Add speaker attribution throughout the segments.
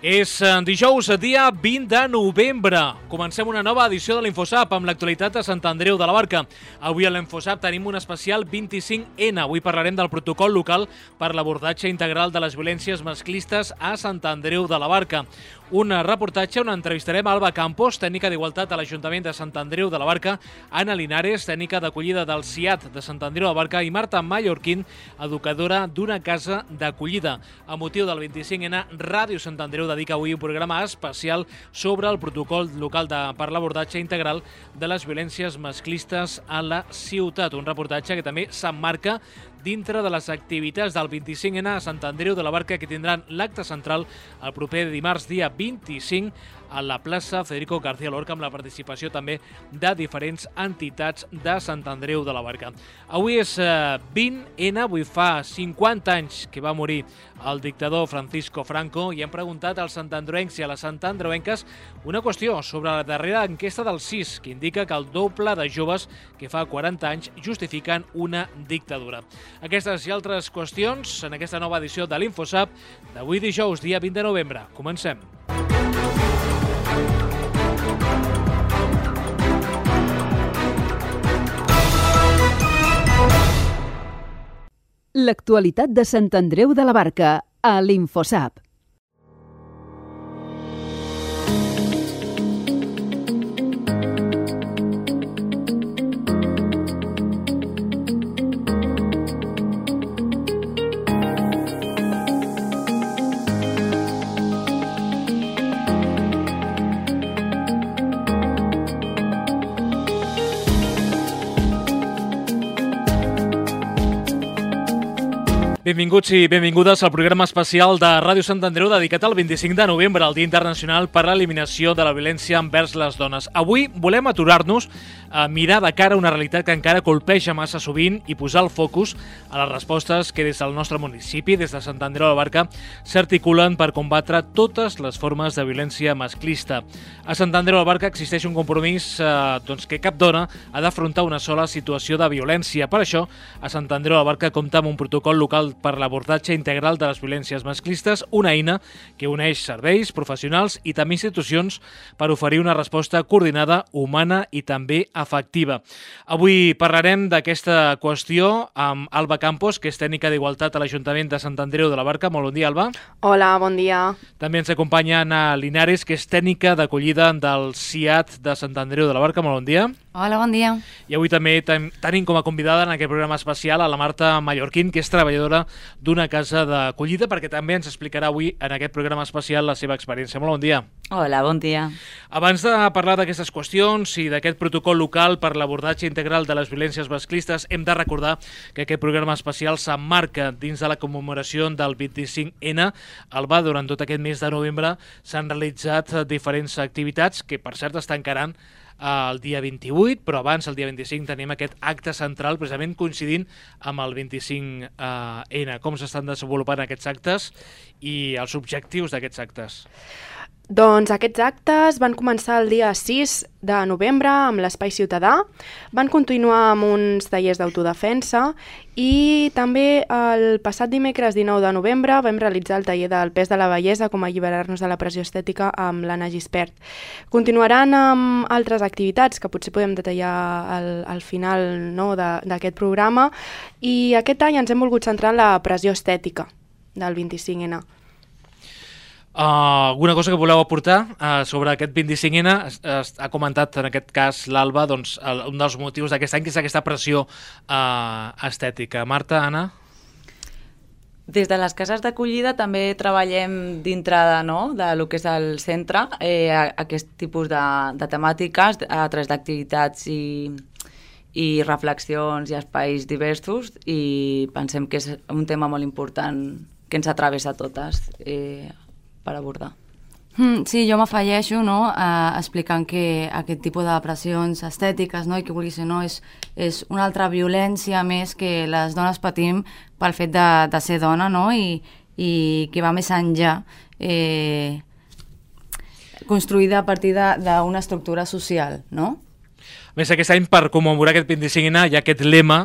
Speaker 1: És dijous, dia 20 de novembre. Comencem una nova edició de l'Infosap amb l'actualitat de Sant Andreu de la Barca. Avui a l'Infosap tenim un especial 25N. Avui parlarem del protocol local per l'abordatge integral de les violències masclistes a Sant Andreu de la Barca. Un reportatge on entrevistarem Alba Campos, tècnica d'Igualtat a l'Ajuntament de Sant Andreu de la Barca, Anna Linares, tècnica d'acollida del CIAT de Sant Andreu de la Barca, i Marta Mallorquín, educadora d'una casa d'acollida. A motiu del 25N, Ràdio Sant Andreu dedica avui un programa especial sobre el protocol local per l'abordatge integral de les violències masclistes a la ciutat. Un reportatge que també s'emmarca dintre de les activitats del 25N a Sant Andreu de la Barca, que tindran l'acte central el proper dimarts, dia 25, a la plaça Federico García Lorca, amb la participació també de diferents entitats de Sant Andreu de la Barca. Avui és 20N, avui fa 50 anys que va morir el dictador Francisco Franco, i hem preguntat als santandreuencs i a les santandreuenques una qüestió sobre la darrera enquesta del CIS, que indica que el doble de joves que fa 40 anys justifiquen una dictadura. Aquestes i altres qüestions en aquesta nova edició de l'Infosap d'avui dijous, dia 20 de novembre. Comencem.
Speaker 2: L'actualitat de Sant Andreu de la Barca a l'Infosap.
Speaker 1: Benvinguts i benvingudes al programa especial de Ràdio Sant Andreu dedicat al 25 de novembre, el Dia Internacional per a l'Eliminació de la Violència envers les Dones. Avui volem aturar-nos a mirar de cara a una realitat que encara colpeja massa sovint i posar el focus a les respostes que des del nostre municipi, des de Sant Andreu de la Barca, s'articulen per combatre totes les formes de violència masclista. A Sant Andreu de la Barca existeix un compromís que cap dona ha d'afrontar una sola situació de violència. Per això, a Sant Andreu de la Barca compta amb un protocol local per l'abordatge integral de les violències masclistes, una eina que uneix serveis, professionals i també institucions per oferir una resposta coordinada, humana i també efectiva. Avui parlarem d'aquesta qüestió amb Alba Campos, que és tècnica d'Igualtat a l'Ajuntament de Sant Andreu de la Barca. Molt bon dia, Alba.
Speaker 3: Hola, bon dia.
Speaker 1: També ens acompanya Anna Linares, que és tècnica d'acollida del CIAT de Sant Andreu de la Barca. Molt bon dia.
Speaker 4: Hola, bon dia.
Speaker 1: I avui també tenim com a convidada en aquest programa especial a la Marta Mallorquín, que és treballadora d'una casa d'acollida, perquè també ens explicarà avui en aquest programa especial la seva experiència. Molt bon dia.
Speaker 4: Hola, bon dia.
Speaker 1: Abans de parlar d'aquestes qüestions i d'aquest protocol local per l'abordatge integral de les violències masclistes, hem de recordar que aquest programa especial s'emmarca dins de la commemoració del 25N. Alba, durant tot aquest mes de novembre s'han realitzat diferents activitats que, per cert, es tancaran el dia 28, però abans, el dia 25, tenim aquest acte central, precisament coincidint amb el 25N. Com s'estan desenvolupant aquests actes i els objectius d'aquests actes?
Speaker 3: Doncs aquests actes van començar el dia 6 de novembre amb l'Espai Ciutadà, van continuar amb uns tallers d'autodefensa i també el passat dimecres 19 de novembre vam realitzar el taller del pes de la bellesa, com alliberar-nos de la pressió estètica, amb l'Anna Gispert. Continuaran amb altres activitats que potser podem detallar al final, no, d'aquest programa, i aquest any ens hem volgut centrar en la pressió estètica del 25N.
Speaker 1: Alguna cosa que voleu aportar sobre aquest 25N? Ha comentat en aquest cas l'Alba un dels motius d'aquest any, que és aquesta pressió estètica. Marta, Anna?
Speaker 4: Des de les cases d'acollida també treballem dintre de lo que és el centre aquest tipus de temàtiques a través d'activitats i reflexions i espais diversos, i pensem que és un tema molt important que ens travessa a totes per abordar.
Speaker 5: Sí, jo m'afegeixo, explicant que aquest tipus de pressions estètiques, i que vulgui ser, és una altra violència més que les dones patim pel fet de ser dona, i que va més enllà, construïda a partir d'una estructura social, no?
Speaker 1: A més, aquest any, per commemorar aquest 25N, hi ha aquest lema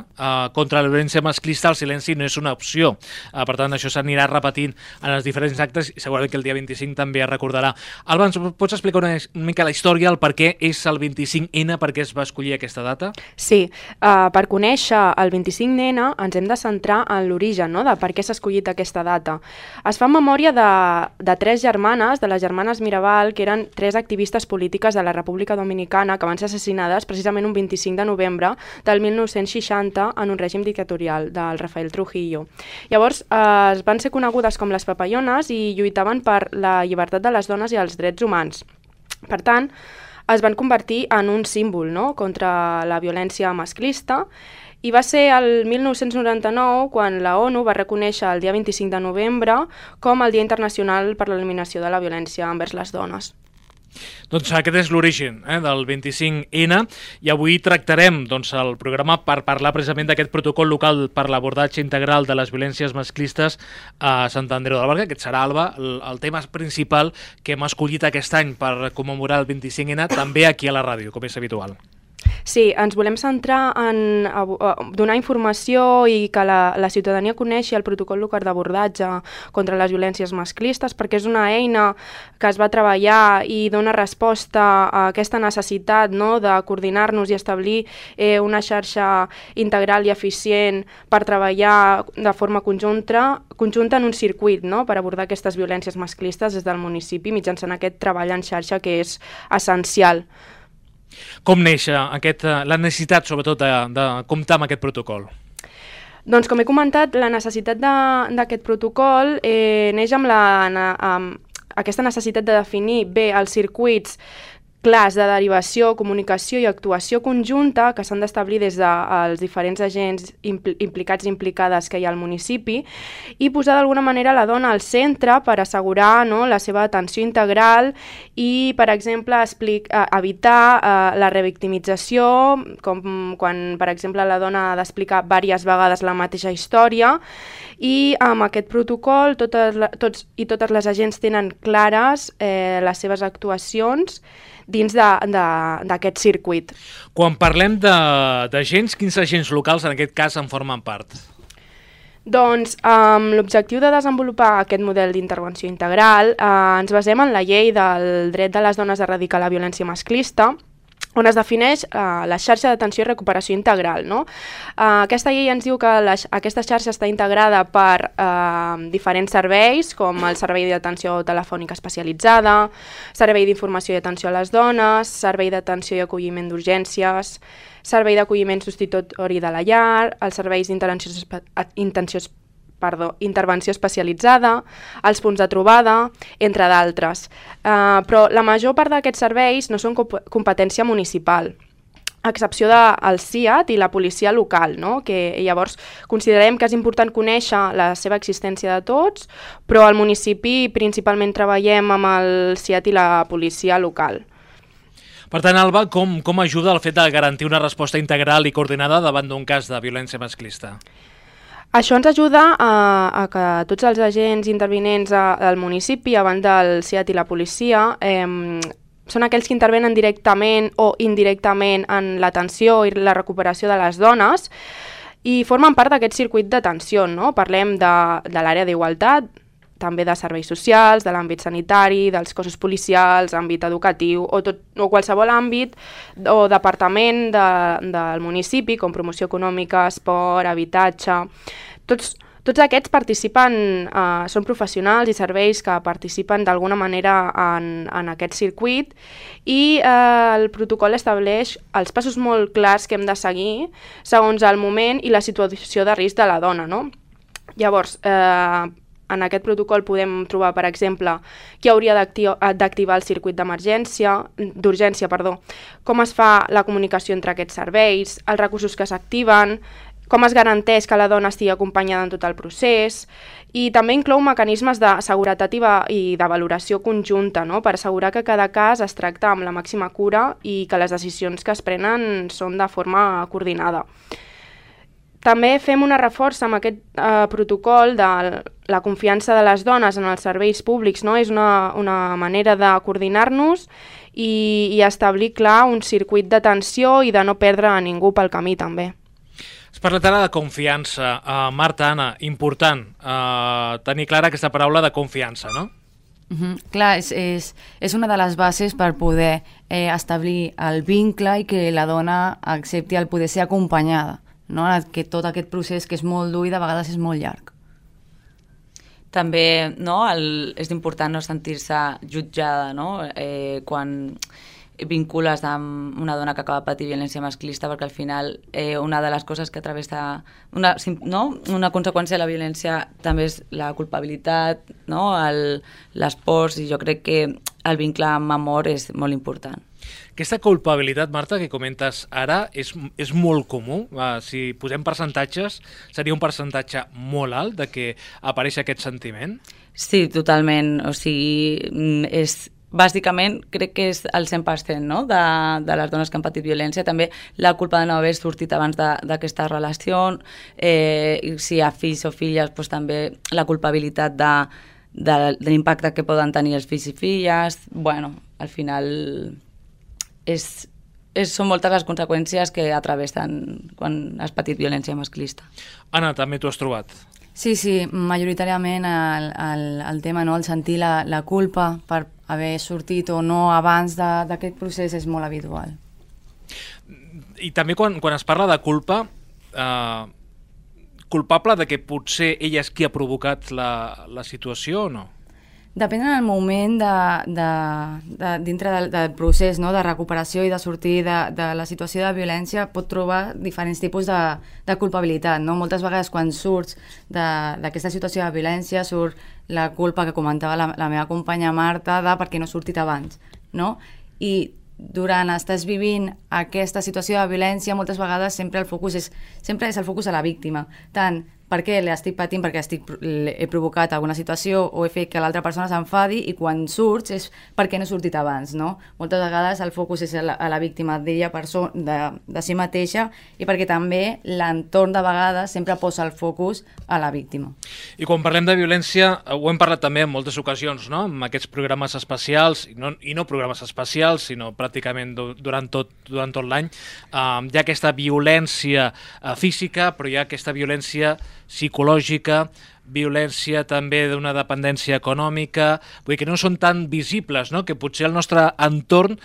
Speaker 1: contra la violència masclista, el silenci no és una opció. Per tant, això s'anirà repetint en els diferents actes i segurament que el dia 25 també es recordarà. Alba, ens pots explicar una mica la història, el per què és el 25N, per què es va escollir aquesta data?
Speaker 3: Sí, per conèixer el 25N ens hem de centrar en l'origen, no?, de per què s'ha escollit aquesta data. Es fa en memòria de tres germanes, de les germanes Mirabal, que eren tres activistes polítiques de la República Dominicana que van ser assassinades precisament un 25 de novembre del 1960 en un règim dictatorial del Rafael Trujillo. Llavors, van ser conegudes com les papallones i lluitaven per la llibertat de les dones i els drets humans. Per tant, es van convertir en un símbol, no?, contra la violència masclista, i va ser el 1999 quan la ONU va reconèixer el dia 25 de novembre com el Dia Internacional per l'Eliminació de la Violència envers les dones.
Speaker 1: Doncs aquest és l'origen del 25N i avui tractarem el programa per parlar precisament d'aquest protocol local per l'abordatge integral de les violències masclistes a Sant Andreu de la Barca. Aquest serà, Alba, el tema principal que hem escollit aquest any per commemorar el 25N, també aquí a la ràdio, com és habitual.
Speaker 3: Sí, ens volem centrar en donar informació i que la ciutadania coneixi el protocol local d'abordatge contra les violències masclistes, perquè és una eina que es va treballar i dona resposta a aquesta necessitat, no?, de coordinar-nos i establir una xarxa integral i eficient per treballar de forma conjunta en un circuit, no?, per abordar aquestes violències masclistes des del municipi mitjançant aquest treball en xarxa que és essencial.
Speaker 1: Com neix la necessitat, sobretot, de comptar amb aquest protocol?
Speaker 3: Doncs, com he comentat, la necessitat d'aquest protocol neix amb aquesta necessitat de definir bé els circuits clars de derivació, comunicació i actuació conjunta que s'han d'establir des dels diferents agents implicats i implicades que hi ha al municipi i posar d'alguna manera la dona al centre per assegurar, no?, la seva atenció integral i, per exemple, evitar la revictimització, com quan, per exemple, la dona ha d'explicar diverses vegades la mateixa història, i amb aquest protocol tots i totes les agents tenen clares les seves actuacions dins d'aquest circuit.
Speaker 1: Quan parlem d'agents, quins agents locals en aquest cas en formen part?
Speaker 3: Doncs amb l'objectiu de desenvolupar aquest model d'intervenció integral ens basem en la llei del dret de les dones a erradicar la violència masclista, on es defineix la xarxa d'atenció i recuperació integral, no? Aquesta llei ens diu que aquesta xarxa està integrada per diferents serveis, com el servei d'atenció telefònica especialitzada, servei d'informació i atenció a les dones, servei d'atenció i acolliment d'urgències, servei d'acolliment substitutori de la llar, els serveis intervenció especialitzada, els punts de trobada, entre d'altres. Però la major part d'aquests serveis no són competència municipal, a excepció del CIAT i la policia local, no?, que llavors considerem que és important conèixer la seva existència de tots, però al municipi principalment treballem amb el CIAT i la policia local.
Speaker 1: Per tant, Alba, com ajuda el fet de garantir una resposta integral i coordinada davant d'un cas de violència masclista?
Speaker 3: Això ens ajuda a que tots els agents intervinents al municipi, a banda del CIAT i la policia, són aquells que intervenen directament o indirectament en l'atenció i la recuperació de les dones i formen part d'aquest circuit d'atenció, no? Parlem de l'àrea d'igualtat, també de serveis socials, de l'àmbit sanitari, dels cossos policials, àmbit educatiu o qualsevol àmbit o departament del municipi, com promoció econòmica, esport, habitatge. Tots aquests participen, són professionals i serveis que participen d'alguna manera en aquest circuit i el protocol estableix els passos molt clars que hem de seguir segons el moment i la situació de risc de la dona, no? Llavors, en aquest protocol podem trobar, per exemple, qui hauria d'activar el circuit d'urgència, com es fa la comunicació entre aquests serveis, els recursos que s'activen, com es garanteix que la dona estigui acompanyada en tot el procés i també inclou mecanismes de seguretat i de valoració conjunta, no?, per assegurar que cada cas es tracta amb la màxima cura i que les decisions que es prenen són de forma coordinada. També fem una reforça amb aquest protocol de la confiança de les dones en els serveis públics, no? És una manera de coordinar-nos i establir, clar, un circuit d'atenció i de no perdre a ningú pel camí, també.
Speaker 1: Has parlat ara de confiança. Marta, Anna, important tenir clara aquesta paraula de confiança, no?
Speaker 5: Clar, és una de les bases per poder establir el vincle i que la dona accepti el poder ser acompanyada, no? Que tot aquest procés que és molt dur i de vegades és molt llarg.
Speaker 4: També és important no sentir-se jutjada, no? Quan vincules amb una dona que acaba de patir violència masclista, perquè al final una de les coses que travessa una conseqüència de la violència també és la culpabilitat, no? Les pors, i jo crec que el vincle amb amor és molt important.
Speaker 1: Aquesta culpabilitat, Marta, que comentes ara, és molt comú. Si posem percentatges, seria un percentatge molt alt de que apareix aquest sentiment?
Speaker 4: Sí, totalment. O sigui, bàsicament crec que és el 100%, no? de les dones que han patit violència. També la culpa de no haver sortit abans d'aquesta relació, si hi ha fills o filles, doncs també la culpabilitat de l'impacte que poden tenir els fills i filles. Bueno, al final són moltes les conseqüències que atravessen quan has patit violència masclista.
Speaker 1: Anna, també t'ho has trobat?
Speaker 5: Sí, majoritàriament el tema, no? El sentir la culpa per haver sortit o no abans d'aquest procés és molt habitual.
Speaker 1: I també quan es parla de culpa, culpable de que potser ella és qui ha provocat la situació o no?
Speaker 5: Depèn del moment dintre del procés, no? De recuperació i de sortir de la situació de violència, pot trobar diferents tipus de culpabilitat, no? Moltes vegades quan surts d'aquesta situació de violència surt la culpa que comentava la meva companya Marta de per què no he sortit abans, no? I durant estàs vivint aquesta situació de violència, moltes vegades sempre el focus és el focus a la víctima, tant per què l'estic patint, perquè he provocat alguna situació o he fet que l'altra persona s'enfadi, i quan surts és perquè no he sortit abans, no? Moltes vegades el focus és a la víctima d'ella de si mateixa, i perquè també l'entorn de vegades sempre posa el focus a la víctima.
Speaker 1: I quan parlem de violència, ho hem parlat també en moltes ocasions, no? Amb aquests programes especials, i no programes especials, sinó pràcticament durant tot l'any, hi ha aquesta violència física, però hi ha aquesta violència psicològica, violència també d'una dependència econòmica, vull dir que no són tan visibles, no? Que potser el nostre entorn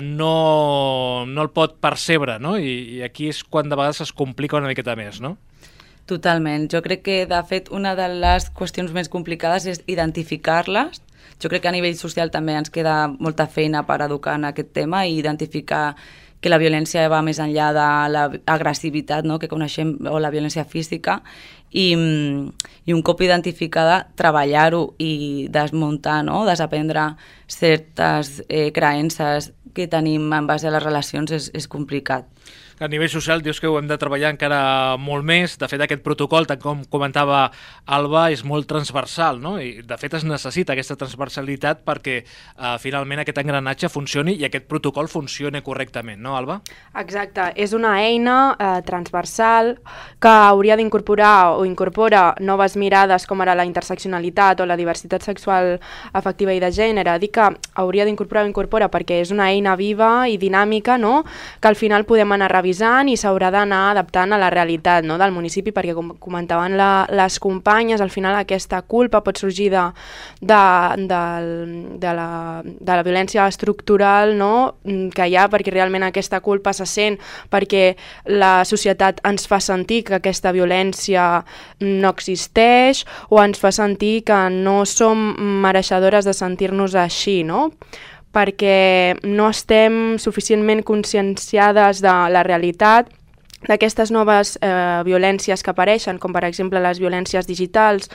Speaker 1: no el pot percebre, no? I aquí és quan de vegades es complica una miqueta més, no?
Speaker 4: Totalment. Jo crec que, de fet, una de les qüestions més complicades és identificar-les. Jo crec que a nivell social també ens queda molta feina per educar en aquest tema i identificar que la violència va més enllà de l'agressivitat, no? Que coneixem, o la violència física, i un cop identificada, treballar-ho i desmuntar, no? Desaprendre certes creences que tenim en base a les relacions és complicat.
Speaker 1: A nivell social dius que ho hem de treballar encara molt més. De fet, aquest protocol, tant com comentava Alba, és molt transversal, no? I de fet es necessita aquesta transversalitat perquè finalment aquest engranatge funcioni i aquest protocol funcioni correctament, no, Alba?
Speaker 3: Exacte, és una eina transversal que hauria d'incorporar o incorpora noves mirades com ara la interseccionalitat o la diversitat sexual afectiva i de gènere. Dic que hauria d'incorporar o incorpora perquè és una eina viva i dinàmica, no? Que al final podem anar revisant i s'haurà d'anar adaptant a la realitat, no? Del municipi, perquè com comentaven les companyes, al final aquesta culpa pot sorgir de la violència estructural, no? Que hi ha, perquè realment aquesta culpa se sent perquè la societat ens fa sentir que aquesta violència no existeix o ens fa sentir que no som mereixedores de sentir-nos així, no? Perquè no estem suficientment conscienciades de la realitat d'aquestes noves violències que apareixen, com per exemple les violències digitals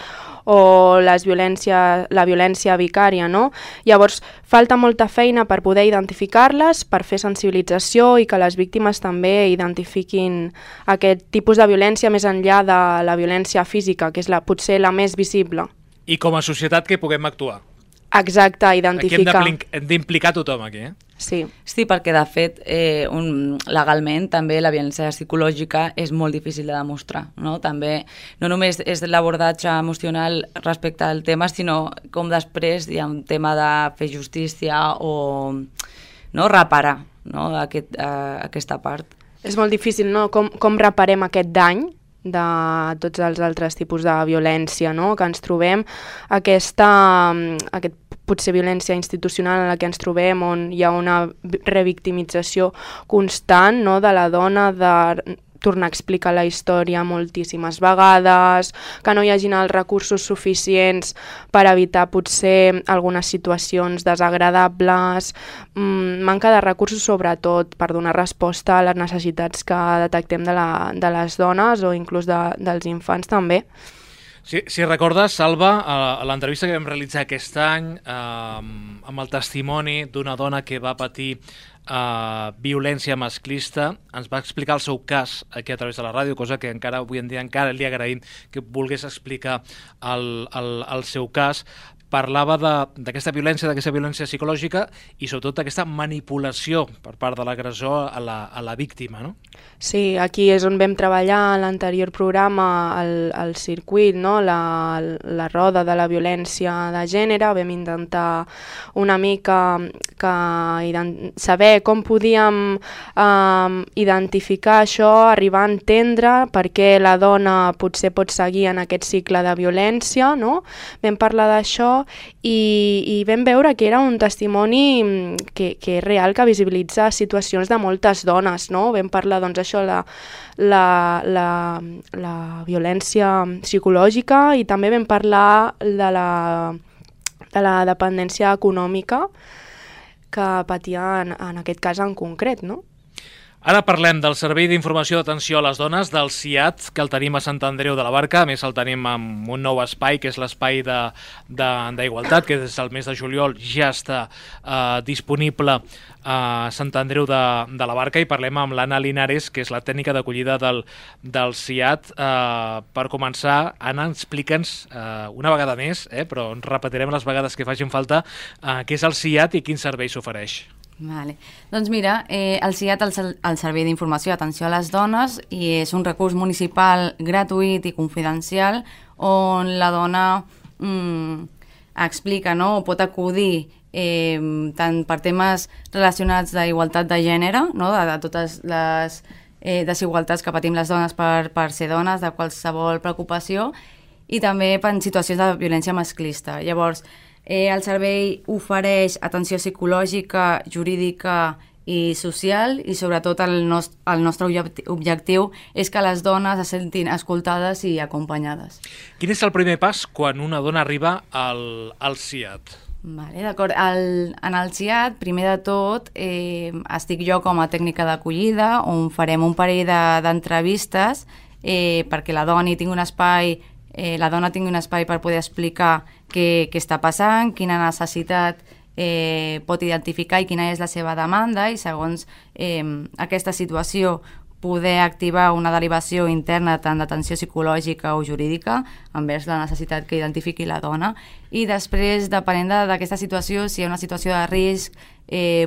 Speaker 3: o la violència vicària, no? Llavors, falta molta feina per poder identificar-les, per fer sensibilització i que les víctimes també identifiquin aquest tipus de violència més enllà de la violència física, que és potser la més visible.
Speaker 1: I com a societat que puguem actuar.
Speaker 3: Exacte, identificar.
Speaker 1: Aquí hem d'implicar tothom, aquí.
Speaker 3: Sí.
Speaker 4: Sí, perquè de fet legalment també la violència psicològica és molt difícil de demostrar, no? També no només és l'abordatge emocional respecte al tema, sinó com després hi ha un tema de fer justícia o no, reparar, no? Aquesta part.
Speaker 3: És molt difícil, no? Com reparem aquest dany de tots els altres tipus de violència, no? Que ens trobem, aquest potser violència institucional en la que ens trobem, on hi ha una revictimització constant, no? De la dona, de tornar a explicar la història moltíssimes vegades, que no hi hagin els recursos suficients per evitar potser algunes situacions desagradables, manca de recursos sobretot per donar resposta a les necessitats que detectem de les dones o inclús dels infants també.
Speaker 1: Si recordes, Salva, a l'entrevista que vam realitzar aquest any amb el testimoni d'una dona que va patir violència masclista, ens va explicar el seu cas aquí a través de la ràdio, cosa que encara avui en dia encara li agraïm que volgués explicar el seu cas. Parlava d'aquesta violència psicològica i sobretot d'aquesta manipulació per part de l'agressor a la víctima, no?
Speaker 3: Sí, aquí és on vam treballar en l'anterior programa, el circuit, no? La roda de la violència de gènere. Vam intentar una mica saber com podíem identificar això, arribar a entendre per què la dona potser pot seguir en aquest cicle de violència, no? Vam parlar d'això i vam veure que era un testimoni que és real, que visibilitza situacions de moltes dones, no? Vam parlar, doncs, això, la violència psicològica, i també vam parlar de la dependència econòmica que patia en aquest cas en concret, no?
Speaker 1: Ara parlem del Servei d'Informació d'Atenció a les Dones, del CIAT, que el tenim a Sant Andreu de la Barca. A més, el tenim amb un nou espai, que és l'espai d'Igualtat, que des del mes de juliol ja està disponible a Sant Andreu de la Barca, i parlem amb l'Anna Linares, que és la tècnica d'acollida del CIAT. Per començar, Anna, explica'ns una vegada més, però ens repetirem les vegades que facin falta, què és el CIAT i quin servei s'ofereix.
Speaker 5: Vale. Doncs mira, el CIAT, el Servei d'Informació d'Atenció a les Dones, i és un recurs municipal gratuït i confidencial on la dona explica, no? O pot acudir tant per temes relacionats d'igualtat de gènere, no? De totes les desigualtats que patim les dones per ser dones, de qualsevol preocupació, i també per situacions de violència masclista. Llavors, el servei ofereix atenció psicològica, jurídica i social, i sobretot el nostre objectiu és que les dones es sentin escoltades i acompanyades.
Speaker 1: Quin és el primer pas quan una dona arriba al CIAT?
Speaker 5: Vale, d'acord. En el CIAT, primer de tot, estic jo com a tècnica d'acollida, on farem un parell d'entrevistes perquè la dona tingui un espai per poder explicar què està passant, quina necessitat pot identificar i quina és la seva demanda, i segons aquesta situació poder activar una derivació interna tant d'atenció psicològica o jurídica envers la necessitat que identifiqui la dona, i després, depenent d'aquesta situació, si hi ha una situació de risc,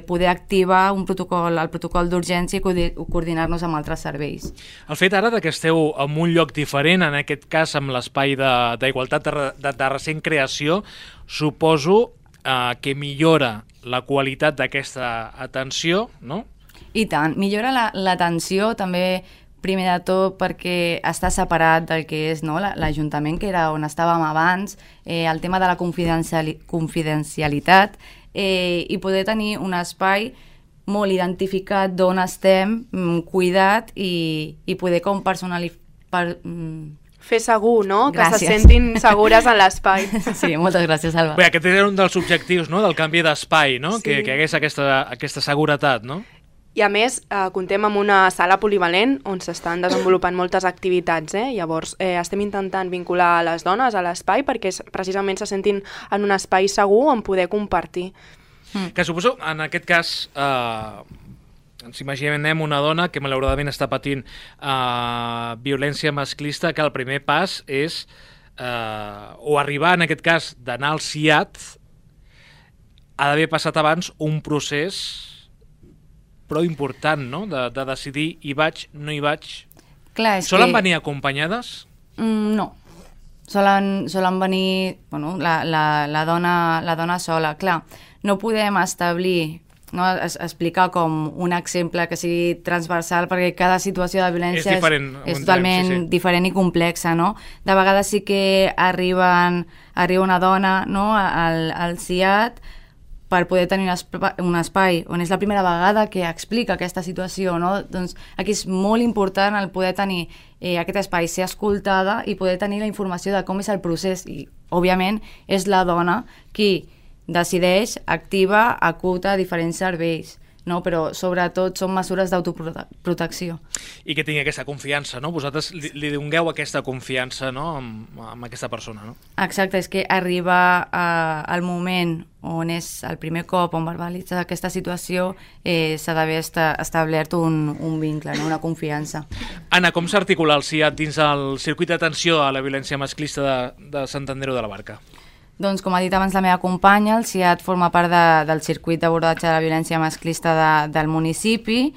Speaker 5: poder activar el protocol d'urgència i coordinar-nos amb altres serveis.
Speaker 1: El fet ara que esteu en un lloc diferent, en aquest cas amb l'espai d'Igualtat de recent creació, suposo que millora la qualitat d'aquesta atenció, no?
Speaker 5: I tant, millora l'atenció també, primer de tot perquè està separat del que és, no, l'Ajuntament, que era on estàvem abans, el tema de la confidencialitat, i poder tenir un espai molt identificat d'on estem, cuidat, i poder com personalitzar...
Speaker 3: Fer segur, no?
Speaker 5: Gràcies.
Speaker 3: Que se sentin segures en l'espai.
Speaker 5: Sí, moltes gràcies, Alba.
Speaker 1: Bé, aquest era un dels objectius, no?, del canvi d'espai, no?
Speaker 3: Sí.
Speaker 1: Que hagués aquesta seguretat, no?
Speaker 3: I a més, comptem amb una sala polivalent on s'estan desenvolupant moltes activitats. Llavors, estem intentant vincular les dones a l'espai perquè precisament se sentin en un espai segur on poder compartir.
Speaker 1: Que suposo, en aquest cas, ens imaginem una dona que malauradament està patint violència masclista, que el primer pas és, o arribar, en aquest cas, d'anar al CIAT, ha d'haver passat abans un procés prou important, no?, de decidir hi vaig, no hi vaig.
Speaker 5: Clar,
Speaker 1: Solen venir acompanyades?
Speaker 5: No. Solen venir la dona sola. Clar, no podem establir, no, explicar com un exemple que sigui transversal, perquè cada situació de violència és totalment diferent i complexa, no? De vegades sí que arriba una dona, no, al CIAT per poder tenir un espai on és la primera vegada que explica aquesta situació, no? Doncs aquí és molt important el poder tenir aquest espai, ser escoltada i poder tenir la informació de com és el procés. I, òbviament, és la dona qui decideix, activa, acuta diferents serveis, no? Però sobretot són mesures d'autoprotecció.
Speaker 1: I que tingui aquesta confiança, no? Vosaltres li dongueu aquesta confiança, no?, amb aquesta persona, no?
Speaker 5: Exacte, és que arriba al moment on és el primer cop on verbalitza aquesta situació, s'ha d'haver establert un vincle, no? Una confiança.
Speaker 1: Anna, com s'articula el CIAT dins el circuit d'atenció a la violència masclista de Sant Andreu de la Barca?
Speaker 5: Doncs, com ha dit abans la meva companya, el CIAT forma part del circuit d'abordatge de la violència masclista del municipi,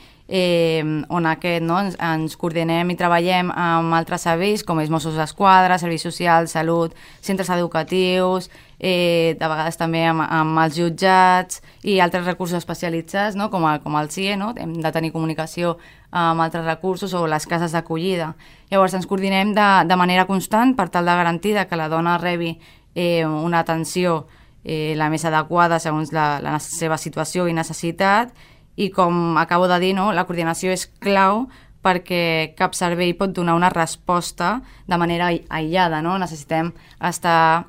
Speaker 5: on ens coordinem i treballem amb altres serveis, com és Mossos d'Esquadra, Serveis Socials, Salut, centres educatius, de vegades també amb els jutjats i altres recursos especialitzats, no? com el CIE, no? Hem de tenir comunicació amb altres recursos o les cases d'acollida. Llavors ens coordinem de manera constant per tal de garantir que la dona rebi una atenció la més adequada segons la seva situació i necessitat, i com acabo de dir, no, la coordinació és clau perquè cap servei pot donar una resposta de manera aïllada, no? Necessitem estar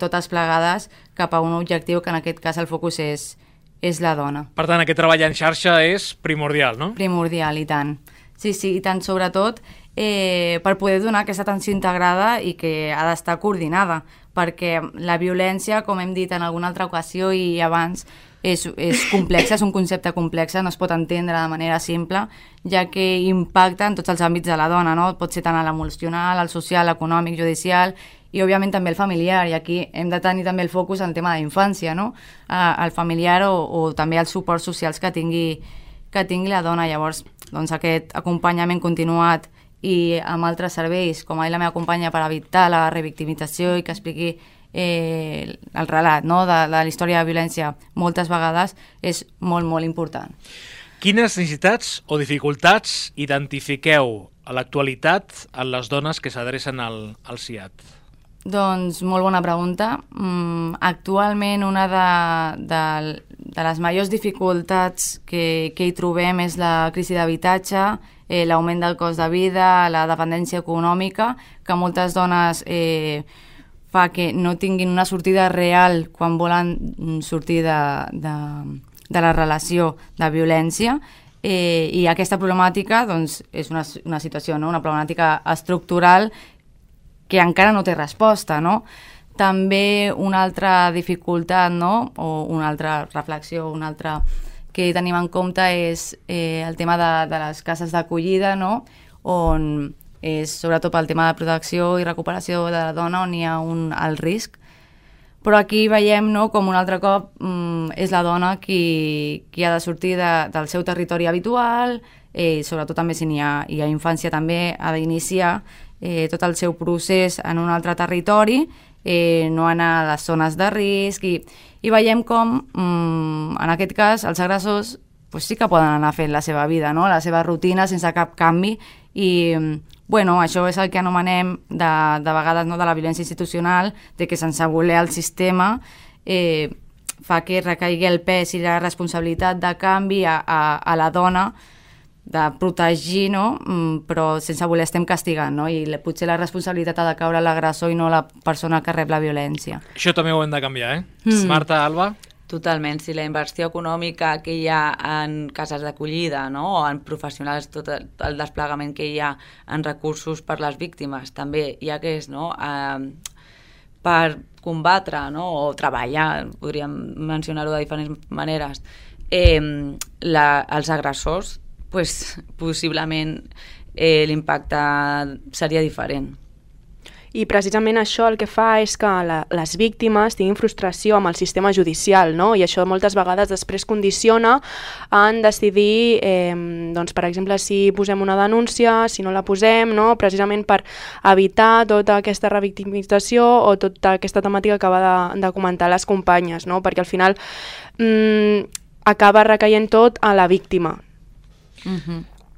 Speaker 5: totes plegades cap a un objectiu que en aquest cas el focus és la dona.
Speaker 1: Per tant, aquest treball en xarxa és primordial, no?
Speaker 5: Primordial, i tant. Sí, i tant, sobretot per poder donar aquesta atenció integrada i que ha d'estar coordinada, perquè la violència, com hem dit en alguna altra ocasió i abans, és complexa, és un concepte complex, no es pot entendre de manera simple, ja que impacta en tots els àmbits de la dona, no? Pot ser tant a l'emocional, al social, l'econòmic, judicial i, òbviament, també el familiar, i aquí hem de tenir també el focus en el tema de la infància, no? El familiar o també els suports socials que tingui la dona. Llavors, doncs, aquest acompanyament continuat i amb altres serveis, com ha dit la meva companya, per evitar la revictimització i que expliqui el relat, no?, de la història de violència moltes vegades, és molt, molt important.
Speaker 1: Quines necessitats o dificultats identifiqueu a l'actualitat en les dones que s'adrecen al CIAT?
Speaker 5: Doncs molt bona pregunta. Actualment una de les majors dificultats que hi trobem és la crisi d'habitatge, l'augment del cost de vida, la dependència econòmica, que moltes dones fa que no tinguin una sortida real quan volen sortir de la relació de violència, i aquesta problemàtica doncs, és una situació, no? Una problemàtica estructural que encara no té resposta, no? També una altra dificultat, no?, o una altra reflexió, una altra que tenim en compte és el tema de les cases d'acollida, no?, on és sobretot pel tema de protecció i recuperació de la dona on hi ha alt risc. Però aquí veiem, no?, com un altre cop és la dona qui ha de sortir del seu territori habitual, sobretot també si hi ha infància, també ha d'iniciar tot el seu procés en un altre territori, no anar a les zones de risc, i veiem com, en aquest cas, els agressors sí que poden anar fent la seva vida, no?, la seva rutina sense cap canvi, i això és el que anomenem de vegades, no?, de la violència institucional, de que sense voler el sistema fa que recaigui el pes i la responsabilitat de canvi a la dona, de protegir, no?, però sense voler estem castigant, no?, i potser la responsabilitat ha de caure a l'agressor i no a la persona que rep la violència.
Speaker 1: Això també ho hem de canviar, Marta, Alba?
Speaker 4: Totalment, si la inversió econòmica que hi ha en cases d'acollida, no?, o en professionals, tot el desplegament que hi ha en recursos per les víctimes, també hi ha que és, no?, per combatre, no?, o treballar, podríem mencionar-ho de diferents maneres, els agressors, possiblement l'impacte seria diferent.
Speaker 3: I precisament això el que fa és que les víctimes tinguin frustració amb el sistema judicial, no? I això moltes vegades després condiciona en decidir, doncs, per exemple, si posem una denúncia, si no la posem, no? Precisament per evitar tota aquesta revictimització o tota aquesta temàtica que acaba de comentar les companyes, no? Perquè al final acaba recaient tot a la víctima.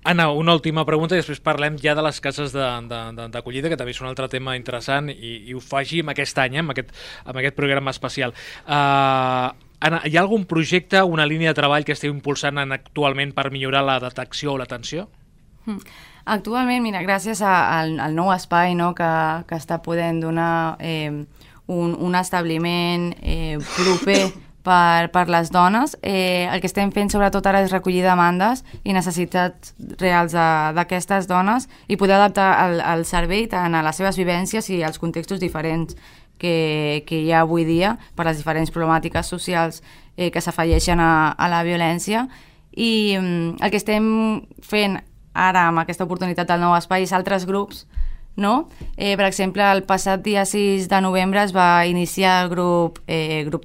Speaker 1: Anna, una última pregunta i després parlem ja de les cases d'acollida, que també és un altre tema interessant i ho faci aquest any, amb aquest programa especial. Anna, hi ha algun projecte, una línia de treball que esteu impulsant actualment per millorar la detecció o l'atenció?
Speaker 5: Actualment, mira, gràcies al nou espai, no, que està podent donar un establiment proper per les dones, el que estem fent sobretot ara és recollir demandes i necessitats reals d'aquestes dones i poder adaptar el servei tant a les seves vivències i als contextos diferents que hi ha avui dia per les diferents problemàtiques socials que s'afegeixen a la violència. I el que estem fent ara amb aquesta oportunitat del nou espai és altres grups, no? Per exemple, el passat dia 6 de novembre es va iniciar el grup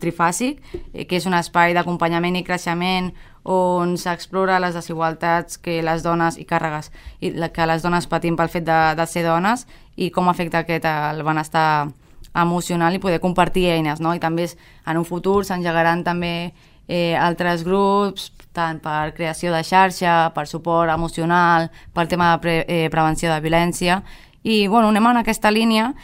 Speaker 5: Trifàsic, que és un espai d'acompanyament i creixement on s'explora les desigualtats que les dones i càrregues que les dones patim pel fet de ser dones i com afecta aquest el benestar emocional i poder compartir eines, no? I també en un futur s'engegaran també altres grups, tant per creació de xarxa, per suport emocional, pel tema de prevenció de violència. I bueno, anem en aquesta línia,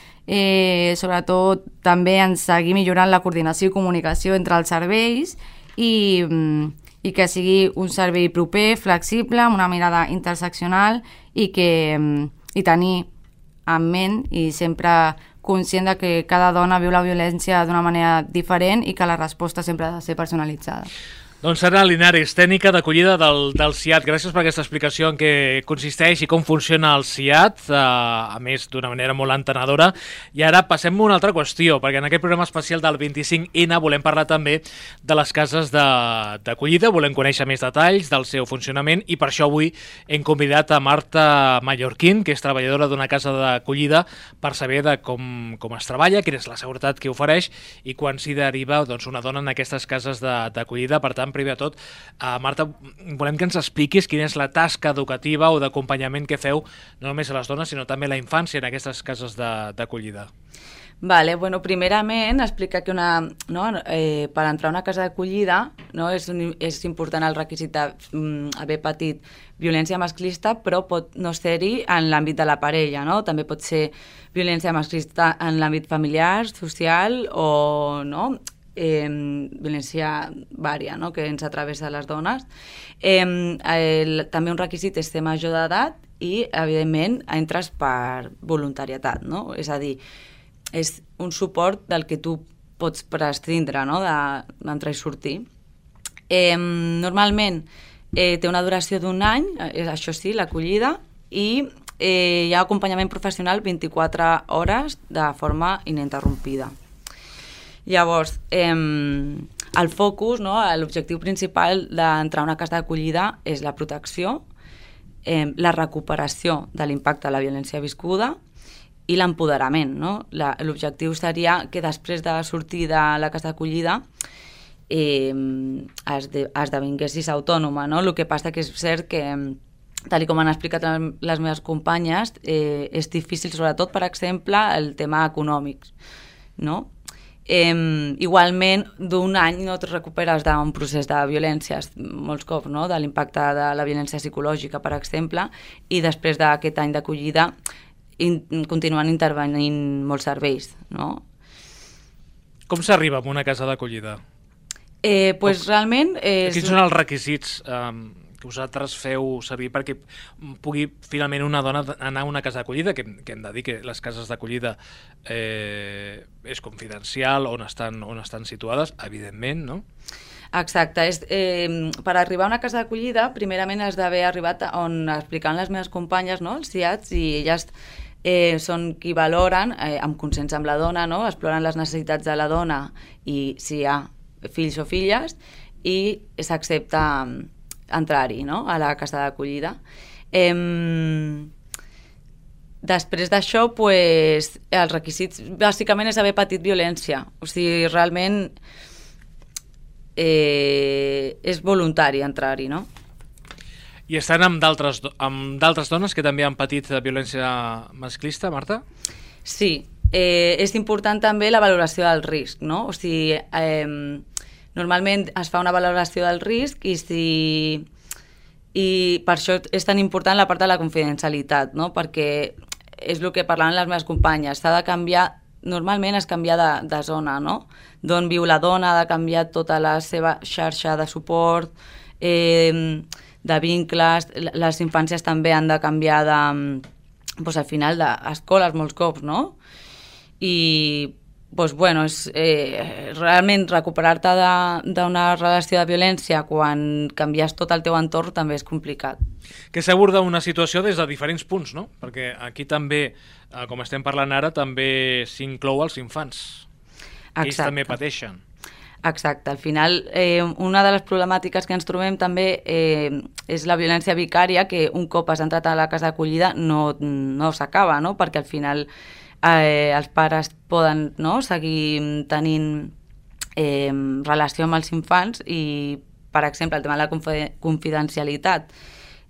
Speaker 5: sobretot també en seguir millorant la coordinació i comunicació entre els serveis i que sigui un servei proper, flexible, amb una mirada interseccional i tenir en ment i sempre conscient de que cada dona viu la violència d'una manera diferent i que la resposta sempre ha de ser personalitzada.
Speaker 1: Doncs Anna Linares, tècnica d'acollida del CIAT. Gràcies per aquesta explicació en què consisteix i com funciona el CIAT, a més d'una manera molt entenedora. I ara passem a una altra qüestió, perquè en aquest programa especial del 25N volem parlar també de les cases d'acollida, volem conèixer més detalls del seu funcionament i per això avui hem convidat a Marta Mallorquín, que és treballadora d'una casa d'acollida, per saber de com es treballa, quina és la seguretat que ofereix i quan s'hi deriva una dona en aquestes cases d'acollida. Per tant, primer de tot, Marta, volem que ens expliquis quina és la tasca educativa o d'acompanyament que feu no només a les dones, sinó també a la infància en aquestes cases d'acollida.
Speaker 4: Vale, bueno, primerament explicar que per entrar a una casa d'acollida és important el requisit d'haver patit violència masclista, però pot no ser-hi en l'àmbit de la parella, no? També pot ser violència masclista en l'àmbit familiar, social o violència vària, no? Que ens atravessa a les dones. També un requisit és ser major d'edat i, evidentment, entres per voluntaritat, no? És a dir, és un suport del que tu pots prescindre, no? D'entrar i sortir. Normalment té una duració d'1 any, això sí, l'acollida, i hi ha acompanyament professional 24 hores de forma ininterrompida. Llavors, el focus, l'objectiu principal d'entrar a una casa d'acollida és la protecció, la recuperació de l'impacte de la violència viscuda i l'empoderament. L'objectiu seria que després de sortir de la casa d'acollida esdevinguessis autònoma. El que passa que és cert que, tal com han explicat les meves companyes, és difícil, sobretot, per exemple, el tema econòmic, no? Igualment, d'1 any no et recuperes d'un procés de violències molts cops, no? De l'impacte de la violència psicològica, per exemple, i després d'aquest any d'acollida continuen intervenint molts serveis, no?
Speaker 1: Com s'arriba a una casa d'acollida?
Speaker 4: Realment...
Speaker 1: Quins són els requisits que vosaltres feu servir perquè pugui finalment una dona anar a una casa d'acollida, que hem de dir que les cases d'acollida és confidencial on estan situades, evidentment, no?
Speaker 4: Exacte. Per arribar a una casa d'acollida, primerament has d'haver arribat on explicaven les meves companyes, no? Els CIATs, i elles són qui valoren, amb consens amb la dona, no? Exploren les necessitats de la dona i si hi ha fills o filles, i s'accepta entrar-hi, no? A la casa d'acollida. després d'això, pues, els requisits bàsicament és haver patit violència. O sigui, realment és voluntari entrar-hi, no?
Speaker 1: I estan amb d'altres dones que també han patit violència masclista, Marta?
Speaker 4: Sí, és important també la valoració del risc, no? O sigui, normalment es fa una valoració del risc i per això és tan important la part de la confidencialitat, no? Perquè és el que parlaven les meves companyes, s'ha de canviar, normalment es canvia de zona, no? D'on viu la dona, ha de canviar tota la seva xarxa de suport, de vincles, les infàncies també han de canviar doncs, al final d'escoles molts cops, no? I doncs, bueno, és, realment recuperar-te d'una relació de violència quan canvies tot el teu entorn també és complicat.
Speaker 1: Que s'aborda una situació des de diferents punts, no? Perquè aquí també, com estem parlant ara, també s'inclou els infants. Ells també pateixen.
Speaker 4: Exacte. Al final, una de les problemàtiques que ens trobem també és la violència vicària, que un cop has entrat a la casa d'acollida no s'acaba, no? Perquè al final els pares poden, no, seguir tenint relació amb els infants i, per exemple, el tema de la confidencialitat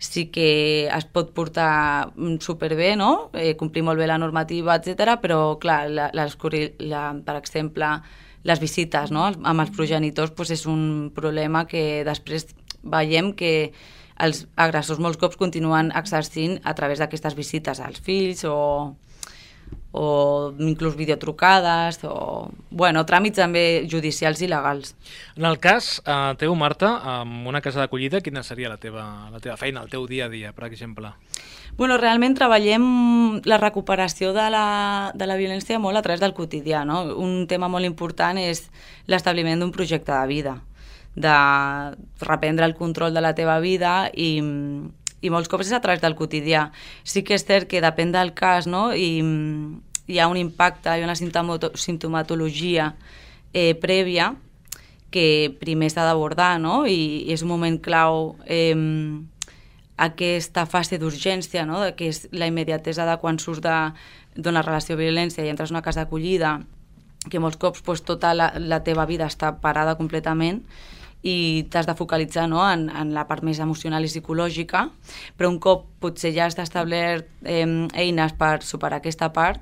Speaker 4: sí que es pot portar superbé, no? Complir molt bé la normativa, etc. Però, clar, per exemple, les visites, no? Amb els progenitors doncs és un problema que després veiem que els agressors molts cops continuen exercint a través d'aquestes visites als fills o inclús videotrucades o tràmits també judicials i legals.
Speaker 1: En el cas teu, Marta, amb una casa d'acollida, quina seria la teva feina, el teu dia a dia, per exemple?
Speaker 4: Realment treballem la recuperació de la violència molt a través del quotidià, no? Un tema molt important és l'establiment d'un projecte de vida, de reprendre el control de la teva vida i molts cops és a través del quotidià. Sí que és cert que depèn del cas, no? I hi ha un impacte i una simptomatologia prèvia que primer s'ha d'abordar, no? I és un moment clau aquesta fase d'urgència, no? Que és la immediatesa de quan surts d'una relació de violència i entres en una casa d'acollida, que molts cops tota la teva vida està parada completament i t'has de focalitzar, no? en la part més emocional i psicològica, però un cop potser ja has establert eines per superar aquesta part,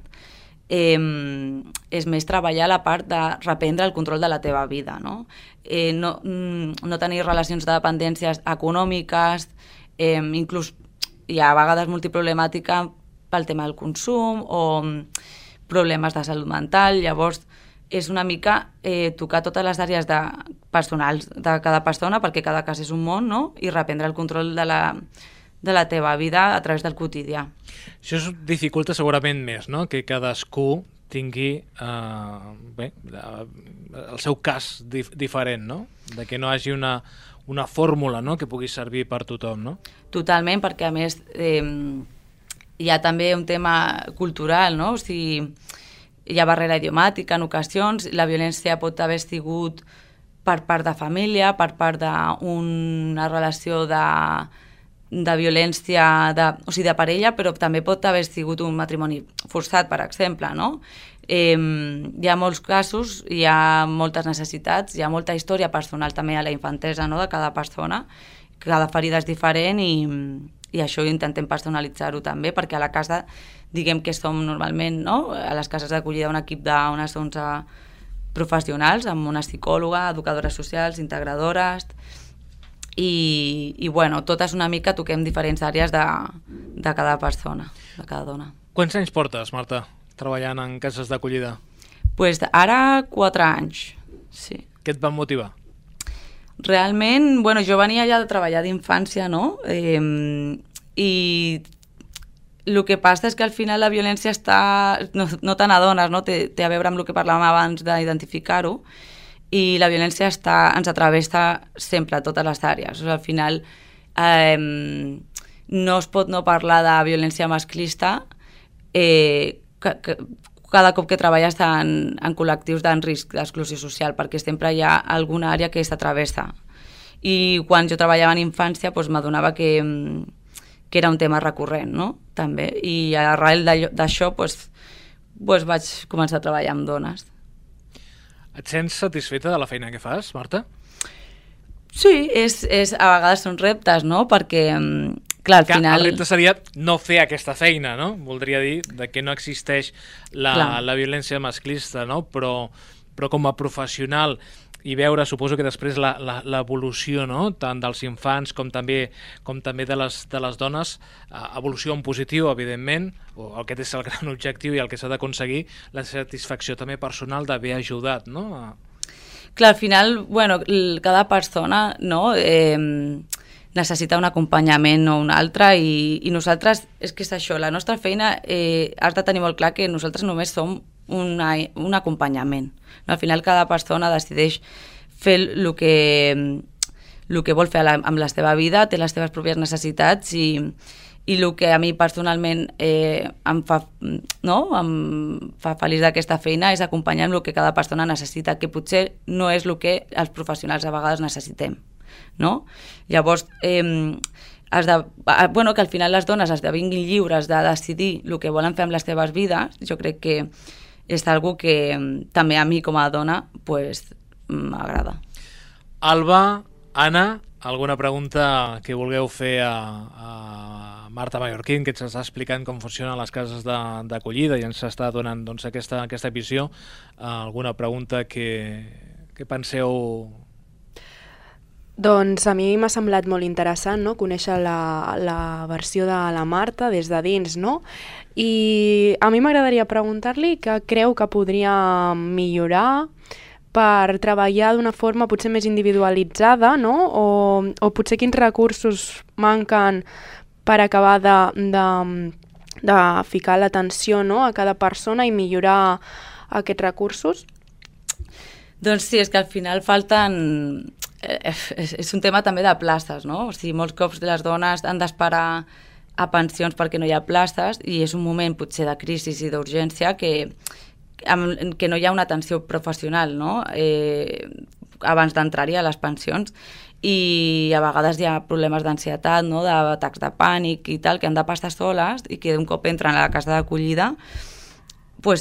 Speaker 4: és més treballar la part de reprendre el control de la teva vida, no? No tenir relacions de dependències econòmiques, inclús hi ha a vegades multiproblemàtica pel tema del consum o problemes de salut mental. Llavors és una mica tocar totes les àrees personals de cada persona, perquè cada cas és un món, no? I reprendre el control de la teva vida a través del quotidià.
Speaker 1: Això es dificulta segurament més, no? Que cadascú tingui el seu cas diferent, no? De que no hi hagi una fórmula, no? Que pugui servir per tothom, no?
Speaker 4: Totalment, perquè a més hi ha també un tema cultural, no? O sigui, hi ha barrera idiomàtica en ocasions, la violència pot haver sigut per part de família, per part d'una relació de violència, o sigui, de parella, però també pot haver sigut un matrimoni forçat, per exemple, no? Hi ha molts casos, hi ha moltes necessitats, hi ha molta història personal també a la infantesa, no? De cada persona, cada ferida és diferent i això intentem personalitzar-ho també, perquè a la casa, diguem que som normalment, no? A les cases d'acollida un equip d'unes 11 professionals, amb una psicòloga, educadores socials, integradores, i totes una mica toquem diferents àrees de cada persona, de cada dona.
Speaker 1: Quants anys portes, Marta, treballant en cases d'acollida?
Speaker 4: Pues ara 4 anys, sí.
Speaker 1: Què et va motivar?
Speaker 4: Realment, jo venia ja de treballar d'infància, no? I el que passa és que al final la violència no te n'adones, no? Té a veure amb el que parlàvem abans d'identificar-ho, i la violència ens atravessa sempre a totes les àrees. O sigui, al final no es pot no parlar de violència masclista cada cop que treballes en col·lectius d'en risc d'exclusió social, perquè sempre hi ha alguna àrea que s'atravessa. I quan jo treballava en infància m'adonava que era un tema recurrent, no? també. I arrel d'això vaig començar a treballar amb dones.
Speaker 1: Et sents satisfeta de la feina que fas, Marta?
Speaker 4: Sí, a vegades són reptes, no? Perquè, clar, al final...
Speaker 1: El repte seria no fer aquesta feina, no? Voldria dir que no existeix la violència masclista, no? Però com a professional i veure, suposo que després l'evolució, no? Tant dels infants com també de les dones, evolució en positiu, evidentment, o aquest és el gran objectiu i el que s'ha d'aconseguir, la satisfacció també personal d'haver ajudat, no?
Speaker 4: Clar, al final, cada persona, no, necessita un acompanyament o un altre i nosaltres, és que és això, la nostra feina has de tenir molt clar que nosaltres només som un acompanyament. No? Al final cada persona decideix fer el que vol fer amb la seva vida, té les seves pròpies necessitats i el que a mi personalment em fa feliç d'aquesta feina és acompanyar amb el que cada persona necessita, que potser no és el que els professionals a vegades necessitem. No? Llavors, que al final les dones esdevinguin lliures de decidir el que volen fer amb les seves vides, jo crec que és algo que també a mi com a dona m'agrada.
Speaker 1: Alba, Anna, alguna pregunta que vulgueu fer a Marta Mallorquín, que ens està explicant com funcionen les cases d'acollida i ens està donant aquesta visió? Alguna pregunta que penseu?
Speaker 3: Doncs a mi m'ha semblat molt interessant, no?, conèixer la versió de la Marta des de dins, no? I a mi m'agradaria preguntar-li què creu que podria millorar per treballar d'una forma potser més individualitzada, no? O potser quins recursos manquen per acabar de ficar l'atenció, no?, a cada persona i millorar aquests recursos?
Speaker 4: Doncs sí, és que al final falten... És un tema també de places, no? O sigui, molts cops les dones han d'esperar a pensions perquè no hi ha places i és un moment potser de crisi i d'urgència que no hi ha una atenció professional, no? Abans d'entrar-hi a les pensions i a vegades hi ha problemes d'ansietat, no?, d'atacs de pànic i tal, que han de passar soles i que d'un cop entren a la casa d'acollida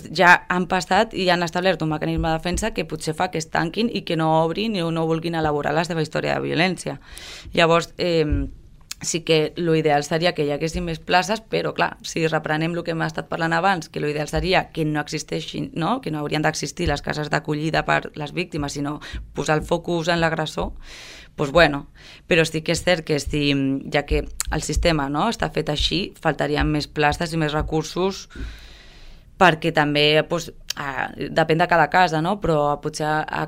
Speaker 4: ja han passat i han establert un mecanisme de defensa que potser fa que es tanquin i que no obrin i no vulguin elaborar la seva història de violència. Llavors, sí que l'ideal seria que hi haguessin més places, però clar, si reprenem el que hem estat parlant abans, que l'ideal seria que no existeixin, no?, que no haurien d'existir les cases d'acollida per les víctimes, sinó posar el focus en l'agressor, doncs però sí que és cert que ja que el sistema, no?, està fet així, faltarien més places i més recursos perquè també depèn de cada casa, no? Però potser a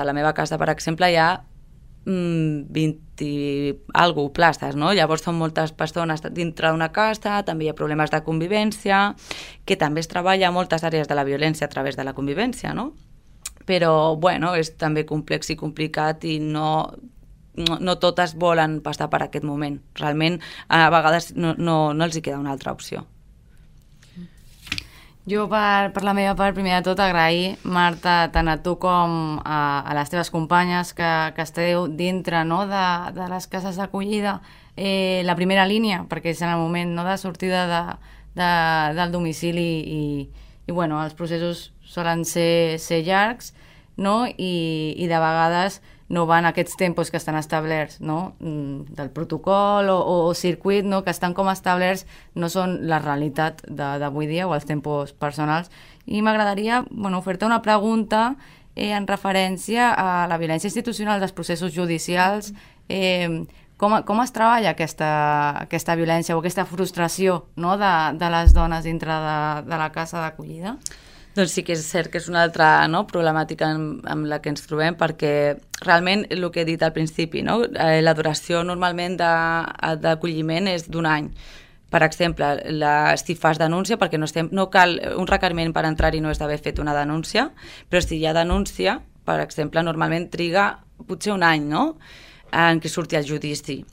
Speaker 4: la meva casa, per exemple, hi ha 20 i alguna places, no? Llavors són moltes persones dintre d'una casa, també hi ha problemes de convivència, que també es treballa a moltes àrees de la violència a través de la convivència, no? Però, és també complex i complicat i no totes volen passar per aquest moment. Realment, a vegades no els hi queda una altra opció.
Speaker 5: Jo, per la meva part, primer de tot, agrair, Marta, tant a tu com a les teves companyes que esteu dintre, no?, de les cases d'acollida, la primera línia, perquè és en el moment, no?, de sortida del domicili i els processos solen ser llargs, no?, i de vegades no van aquests tempos que estan establerts, no?, del protocol o circuit, no?, que estan com establerts, no són la realitat d'avui dia o els tempos personals. I m'agradaria fer-te una pregunta en referència a la violència institucional dels processos judicials. Com es treballa aquesta violència o aquesta frustració, no?, de les dones dintre de la casa d'acollida?
Speaker 4: Doncs sí que és cert que és una altra, no?, problemàtica amb la que ens trobem, perquè realment el que he dit al principi, no?, la duració normalment d'acolliment és d'un any. Per exemple, si fas denúncia, perquè no cal un requeriment per entrar-hi, no és d'haver fet una denúncia, però si hi ha denúncia, per exemple, normalment triga potser un any, no?, en què surti el judici.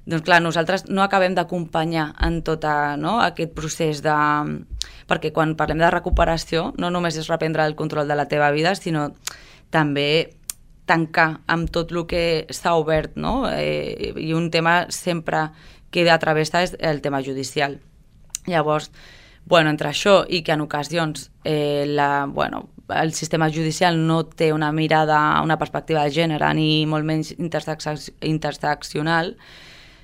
Speaker 4: Doncs clar, nosaltres no acabem d'acompanyar en tot aquest procés perquè quan parlem de recuperació no només és reprendre el control de la teva vida, sinó també tancar amb tot el que s'ha obert, no? I un tema sempre que travessa és el tema judicial. Llavors, entre això i que en ocasions el sistema judicial no té una mirada, una perspectiva de gènere ni molt menys interseccional,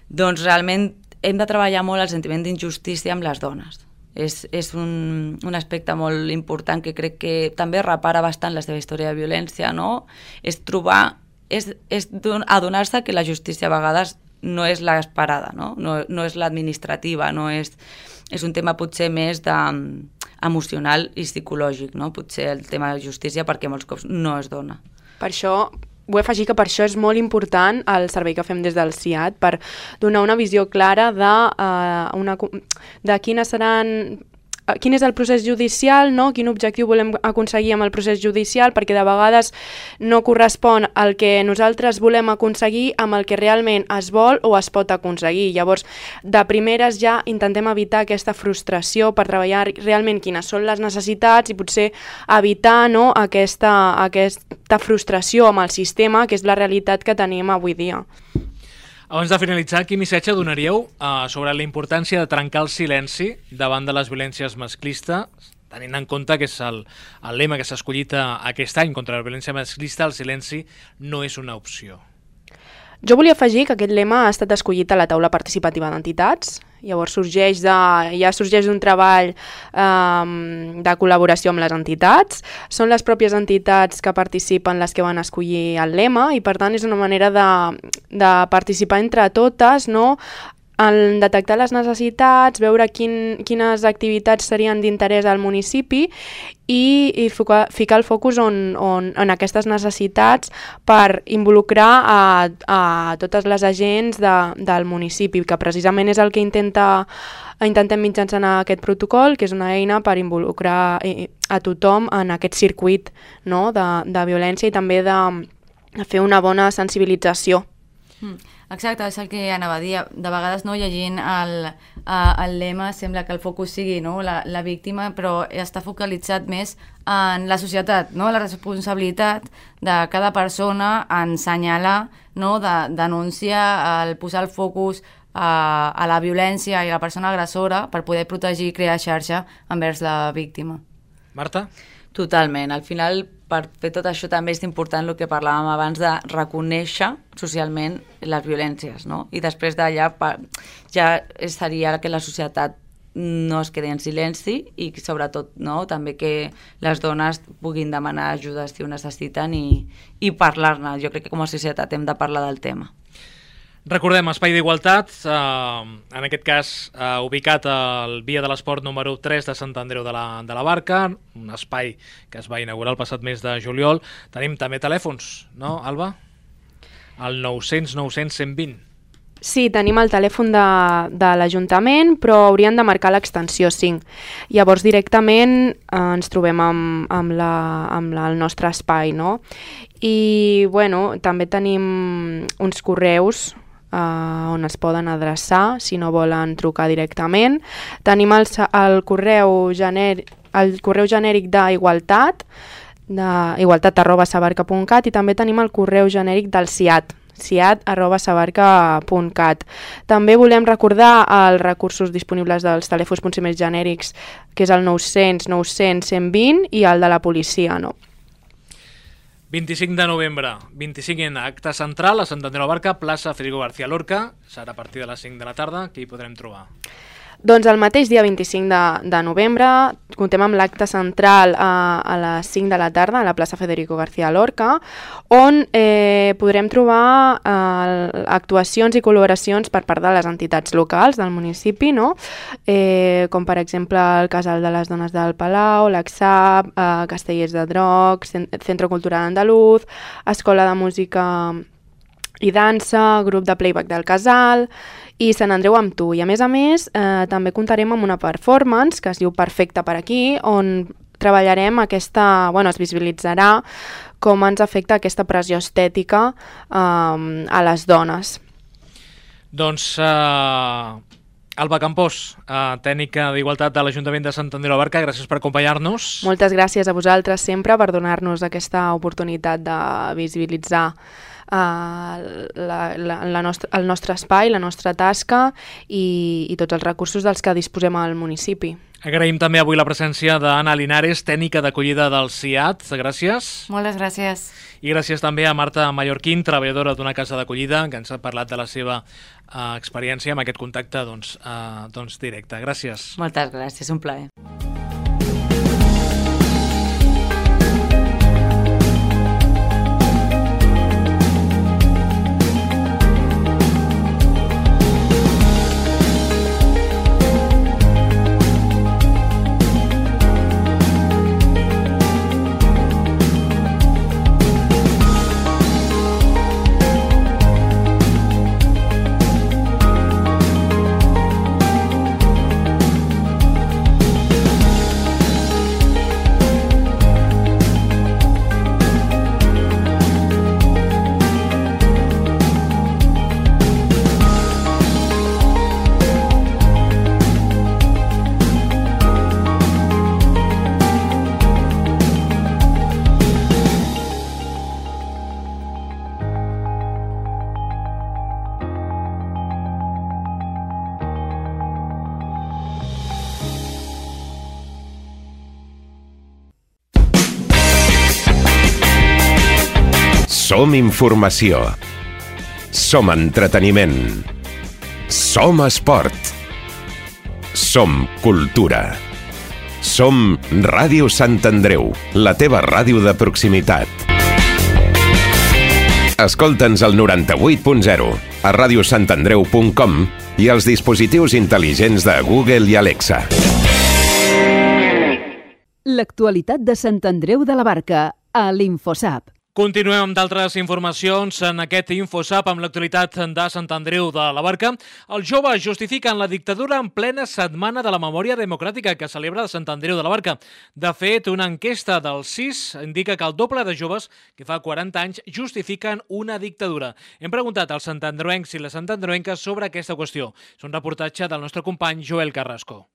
Speaker 4: doncs realment hem de treballar molt el sentiment d'injustícia amb les dones. És un aspecte molt important que crec que també repara bastant la seva història de violència, no? És adonar-se que la justícia a vegades no és l'esperada, no? No és l'administrativa, és un tema potser més emocional i psicològic, no? Potser el tema de justícia perquè molts cops no es dona.
Speaker 3: Per això vull afegir que per això és molt important el servei que fem des del CIAT, per donar una visió clara de quin és el procés judicial, no? Quin objectiu volem aconseguir amb el procés judicial, perquè de vegades no correspon al que nosaltres volem aconseguir amb el que realment es vol o es pot aconseguir. Llavors, de primeres ja intentem evitar aquesta frustració per treballar realment quines són les necessitats i potser evitar, no, aquesta frustració amb el sistema, que és la realitat que tenim avui dia.
Speaker 1: Abans de finalitzar, quin missatge donaríeu sobre la importància de trencar el silenci davant de les violències masclistes, tenint en compte que és el lema que s'ha escollit aquest any contra la violència masclista, el silenci no és una opció?
Speaker 3: Jo volia afegir que aquest lema ha estat escollit a la taula participativa d'entitats. Llavors sorgeix d'un treball de col·laboració amb les entitats. Són les pròpies entitats que participen les que van escollir el lema i per tant és una manera de participar entre totes, no? En detectar les necessitats, veure quines activitats serien d'interès al municipi i ficar el focus en aquestes necessitats per involucrar a totes les agents del municipi, que precisament és el que intentem mitjançant aquest protocol, que és una eina per involucrar a tothom en aquest circuit, no? de violència i també de fer una bona sensibilització.
Speaker 5: Exacte, és el que anava a dir. De vegades, no, llegint el lema sembla que el focus sigui, no, la víctima, però està focalitzat més en la societat, no? La responsabilitat de cada persona en assenyalar, no, de denunciar, el posar el focus a la violència i a la persona agressora per poder protegir i crear xarxa envers la víctima.
Speaker 1: Marta?
Speaker 4: Totalment. Al final, per fer tot això també és important el que parlàvem abans de reconèixer socialment les violències, no? I després d'allà ja seria que la societat no es quedi en silenci i sobretot, no, també que les dones puguin demanar ajuda si ho necessiten i parlar-ne. Jo crec que com a societat hem de parlar del tema.
Speaker 1: Recordem, Espai d'Igualtat, en aquest cas ubicat al Via de l'Esport número 3 de Sant Andreu de la Barca, un espai que es va inaugurar el passat mes de juliol. Tenim també telèfons, no, Alba? El 900 900 120.
Speaker 3: Sí, tenim el telèfon de l'Ajuntament, però haurien de marcar l'extensió 5. Llavors directament ens trobem amb el nostre espai, no? I bueno, també tenim uns correus on es poden adreçar si no volen trucar directament. Tenim el correu genèric d'Igualtat, igualtat@sabarca.cat, i també tenim el correu genèric del CIAT, ciat@sabarca.cat. També volem recordar els recursos disponibles dels telèfons potser més genèrics, que és el 900 900 120 i el de la policia, no?
Speaker 1: 25 de novembre, 25 acte central a Sant Andreu de la Barca, plaça Federico García Lorca. Serà a partir de les 5 de la tarda. Qui hi podrem trobar?
Speaker 3: Doncs el mateix dia 25 de novembre comptem amb l'acte central a les 5 de la tarda a la plaça Federico García Lorca, on podrem trobar actuacions i col·laboracions per part de les entitats locals del municipi, no? Com per exemple el Casal de les Dones del Palau, l'AXAP, Castellers de Drocs, Centre Cultural Andaluz, Escola de Música i Dansa, Grup de Playback del Casal i Sant Andreu amb tu. I a més, també comptarem amb una performance que es diu Perfecte per aquí, on treballarem es visibilitzarà com ens afecta aquesta pressió estètica a les dones.
Speaker 1: Doncs Alba Campós, tècnica d'Igualtat de l'Ajuntament de Sant Andreu de la Barca, gràcies per acompanyar-nos.
Speaker 3: Moltes gràcies a vosaltres sempre per donar-nos aquesta oportunitat de visibilitzar el nostre espai, la nostra tasca i tots els recursos dels que disposem al municipi.
Speaker 1: Agraïm també avui la presència d'Anna Linares, tècnica d'acollida del CIAT. Gràcies.
Speaker 5: Moltes gràcies.
Speaker 1: I gràcies també a Marta Mallorquín, treballadora d'una casa d'acollida, que ens ha parlat de la seva experiència amb aquest contacte directe. Gràcies.
Speaker 4: Moltes gràcies, un plaer.
Speaker 6: Som informació. Som entreteniment. Som esport. Som cultura. Som Ràdio Sant Andreu, la teva ràdio de proximitat. Escolta'ns al 98.0, a radiosantandreu.com i als dispositius intel·ligents de Google i Alexa.
Speaker 2: L'actualitat de Sant Andreu de la Barca, a l'Infosap.
Speaker 1: Continuem amb d'altres informacions en aquest Infosap amb l'actualitat de Sant Andreu de la Barca. Els joves justifiquen la dictadura en plena Setmana de la Memòria Democràtica que celebra Sant Andreu de la Barca. De fet, una enquesta del CIS indica que el doble de joves que fa 40 anys justifiquen una dictadura. Hem preguntat als santandreuencs i les santandreuenques sobre aquesta qüestió. És un reportatge del nostre company Joel Carrasco.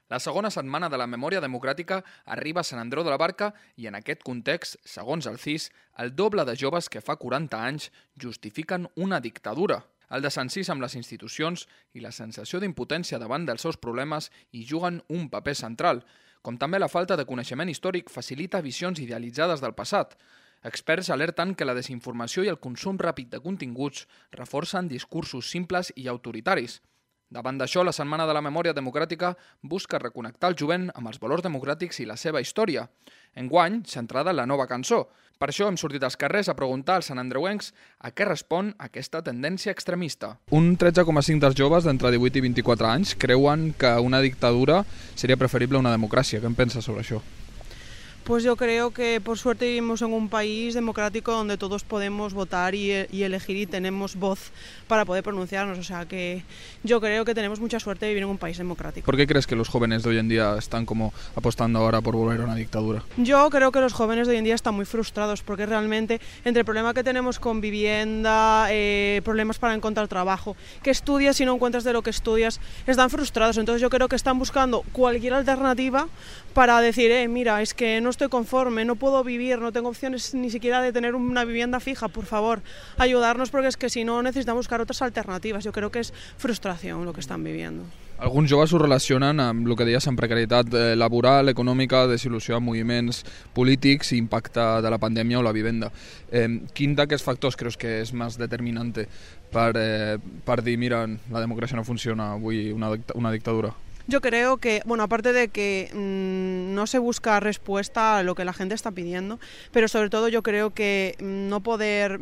Speaker 7: La segona setmana de la memòria democràtica arriba a Sant Andreu de la Barca i en aquest context, segons el CIS, el doble de joves que fa 40 anys justifiquen una dictadura. El desencís amb les institucions i la sensació d'impotència davant dels seus problemes hi juguen un paper central, com també la falta de coneixement històric facilita visions idealitzades del passat. Experts alerten que la desinformació i el consum ràpid de continguts reforcen discursos simples i autoritaris. Davant d'això, la Setmana de la Memòria Democràtica busca reconnectar el jovent amb els valors democràtics i la seva història. Enguany, centrada en la nova cançó. Per això hem sortit als carrers a preguntar als santandreuencs a què respon aquesta tendència extremista. Un 13,5% dels joves d'entre 18 i 24 anys creuen que una dictadura seria preferible a una democràcia. Què en penses sobre això?
Speaker 8: Pues yo creo que por suerte vivimos en un país democrático donde todos podemos votar y elegir y tenemos voz para poder pronunciarnos. O sea que yo creo que tenemos mucha suerte de vivir en un país democrático.
Speaker 7: ¿Por qué crees que los jóvenes de hoy en día están como apostando ahora por volver a una dictadura?
Speaker 8: Yo creo que los jóvenes de hoy en día están muy frustrados porque realmente entre el problema que tenemos con vivienda, problemas para encontrar trabajo, que estudias y no encuentras de lo que estudias, están frustrados. Entonces yo creo que están buscando cualquier alternativa para decir, mira, es que no estoy conforme, no puedo vivir, no tengo opciones ni siquiera de tener una vivienda fija, por favor, ayudarnos porque es que si no necesitamos buscar otras alternativas. Yo creo que es frustración lo que están viviendo.
Speaker 7: Alguns joves ho relacionen amb el que deies amb precarietat laboral, econòmica, desil·lusió amb moviments polítics i impacte de la pandèmia o la vivenda. Quin d'aquests factors creus que és més determinante per dir, mira, la democràcia no funciona, vull una dictadura?
Speaker 8: Yo creo que, bueno, aparte de que no se busca respuesta a lo que la gente está pidiendo, pero sobre todo yo creo que no poder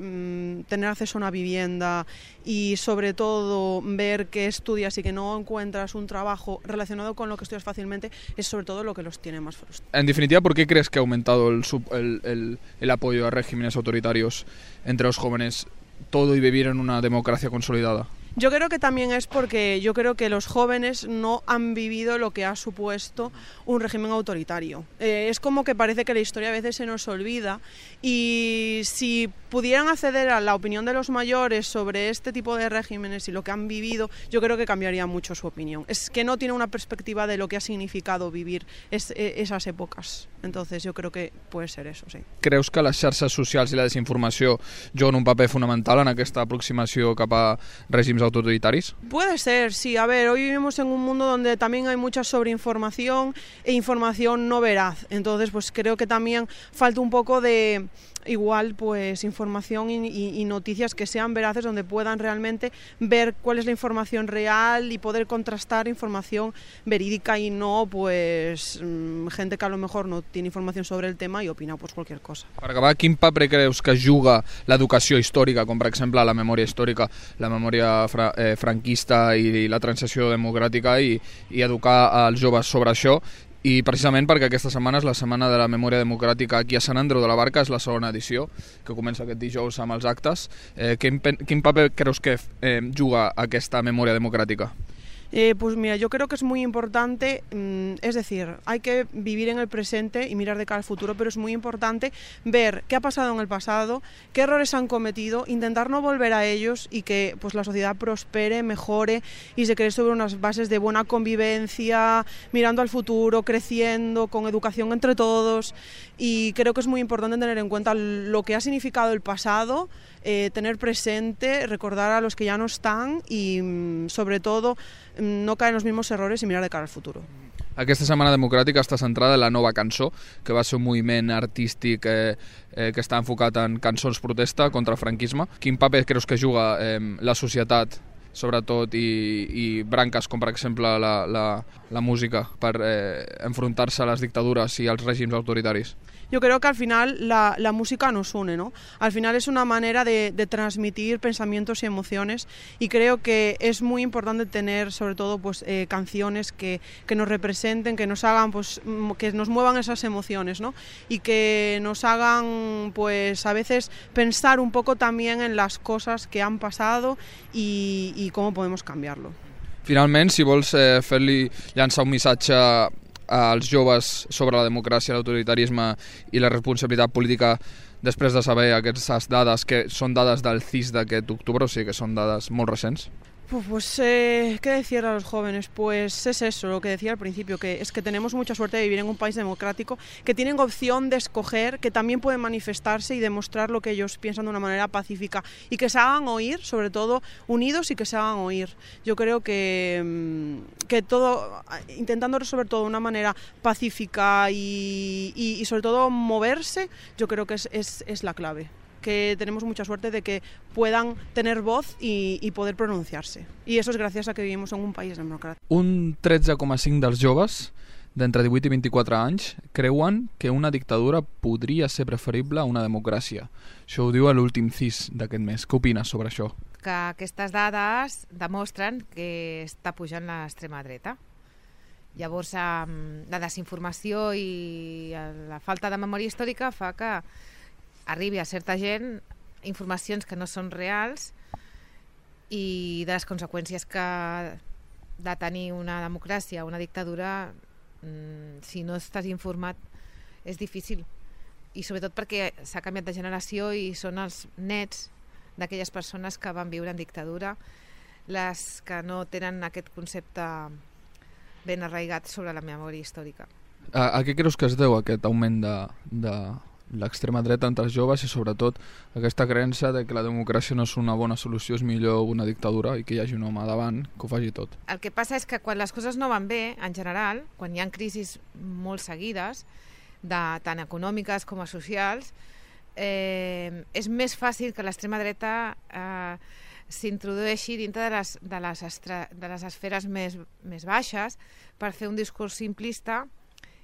Speaker 8: tener acceso a una vivienda y sobre todo ver que estudias y que no encuentras un trabajo relacionado con lo que estudias fácilmente es sobre todo lo que los tiene más frustrados.
Speaker 7: En definitiva, ¿por qué crees que ha aumentado el apoyo a regímenes autoritarios entre los jóvenes, todo y vivir en una democracia consolidada?
Speaker 8: Yo creo que también es porque yo creo que los jóvenes no han vivido lo que ha supuesto un régimen autoritario. Es como que parece que la historia a veces se nos olvida y si pudieran acceder a la opinión de los mayores sobre este tipo de regímenes y lo que han vivido, yo creo que cambiaría mucho su opinión. Es que no tiene una perspectiva de lo que ha significado vivir esas épocas. Entonces yo creo que puede ser eso, sí.
Speaker 7: Creus que les xarxes socials i la desinformació juguen un paper fundamental en aquesta aproximació cap a règims autoritaris?
Speaker 8: Puede ser, sí. A ver, hoy vivimos en un mundo donde también hay mucha sobreinformación e información no veraz. Entonces, pues creo que también falta un poco de igual pues información y noticias que sean veraces, donde puedan realmente ver cuál es la información real y poder contrastar información verídica y no pues gente que a lo mejor no tiene información sobre el tema y opina pues cualquier cosa.
Speaker 7: Per acabar, quin paper creus que juga l'educació històrica, com per exemple la memòria històrica, la memòria franquista i la transició democràtica i educar als joves sobre això? I precisament perquè aquesta setmana és la Setmana de la Memòria Democràtica aquí a Sant Andreu de la Barca, és la segona edició, que comença aquest dijous amb els actes. Quin paper creus que juga aquesta memòria democràtica?
Speaker 8: Pues mira, yo creo que es muy importante, es decir, hay que vivir en el presente y mirar de cara al futuro, pero es muy importante ver qué ha pasado en el pasado, qué errores han cometido, intentar no volver a ellos y que pues la sociedad prospere, mejore y se cree sobre unas bases de buena convivencia, mirando al futuro, creciendo, con educación entre todos. Y creo que es muy importante tener en cuenta lo que ha significado el pasado, tener presente, recordar a los que ya no están y sobre todo no caer en los mismos errores y mirar de cara al futuro.
Speaker 7: Aquesta Setmana Democràtica està centrada en la Nova Cançó, que va ser un moviment artístic que està enfocat en cançons protesta contra el franquisme. Quin paper creus que juga la societat, sobretot, i branques com per exemple la música per enfrontar-se a les dictadures i als règims autoritaris?
Speaker 8: Yo creo que al final la música nos une, ¿no? Al final es una manera de transmitir pensamientos y emociones y creo que es muy importante tener sobre todo pues canciones que nos representen, que nos hagan pues que nos muevan esas emociones, ¿no? Y que nos hagan pues a veces pensar un poco también en las cosas que han pasado y cómo podemos cambiarlo.
Speaker 7: Finalment, si vols llançar un missatge als joves sobre la democràcia, l'autoritarisme i la responsabilitat política després de saber aquestes dades que són dades del CIS d'aquest octubre, o sigui que són dades molt recents?
Speaker 8: Pues, ¿qué decir a los jóvenes? Pues es eso, lo que decía al principio, que es que tenemos mucha suerte de vivir en un país democrático, que tienen opción de escoger, que también pueden manifestarse y demostrar lo que ellos piensan de una manera pacífica y que se hagan oír, sobre todo unidos y que se hagan oír. Yo creo que todo, intentando resolver todo de una manera pacífica y sobre todo moverse, yo creo que es la clave. Que tenemos mucha suerte de que puedan tener voz y poder pronunciarse. Y eso es gracias a que vivimos en un país democrático.
Speaker 7: Un 13,5 dels joves d'entre 18 i 24 anys creuen que una dictadura podria ser preferible a una democràcia. Això ho diu a l'últim CIS d'aquest mes. Què opines sobre això?
Speaker 9: Que aquestes dades demostren que està pujant l'extrema dreta. Llavors, la desinformació i la falta de memòria històrica fa que arribi a certa gent informacions que no són reals i de les conseqüències que de tenir una democràcia, una dictadura, si no estàs informat és difícil. I sobretot perquè s'ha canviat de generació i són els nets d'aquelles persones que van viure en dictadura les que no tenen aquest concepte ben arraigat sobre la memòria històrica.
Speaker 7: A què creus que es deu aquest augment de l'extrema dreta entre els joves i sobretot aquesta creença de que la democràcia no és una bona solució, és millor una dictadura i que hi hagi un home davant que ho faci tot?
Speaker 9: El que passa és que quan les coses no van bé, en general, quan hi ha crisis molt seguides, tant econòmiques com socials, és més fàcil que l'extrema dreta s'introdueixi dintre de les esferes més baixes per fer un discurs simplista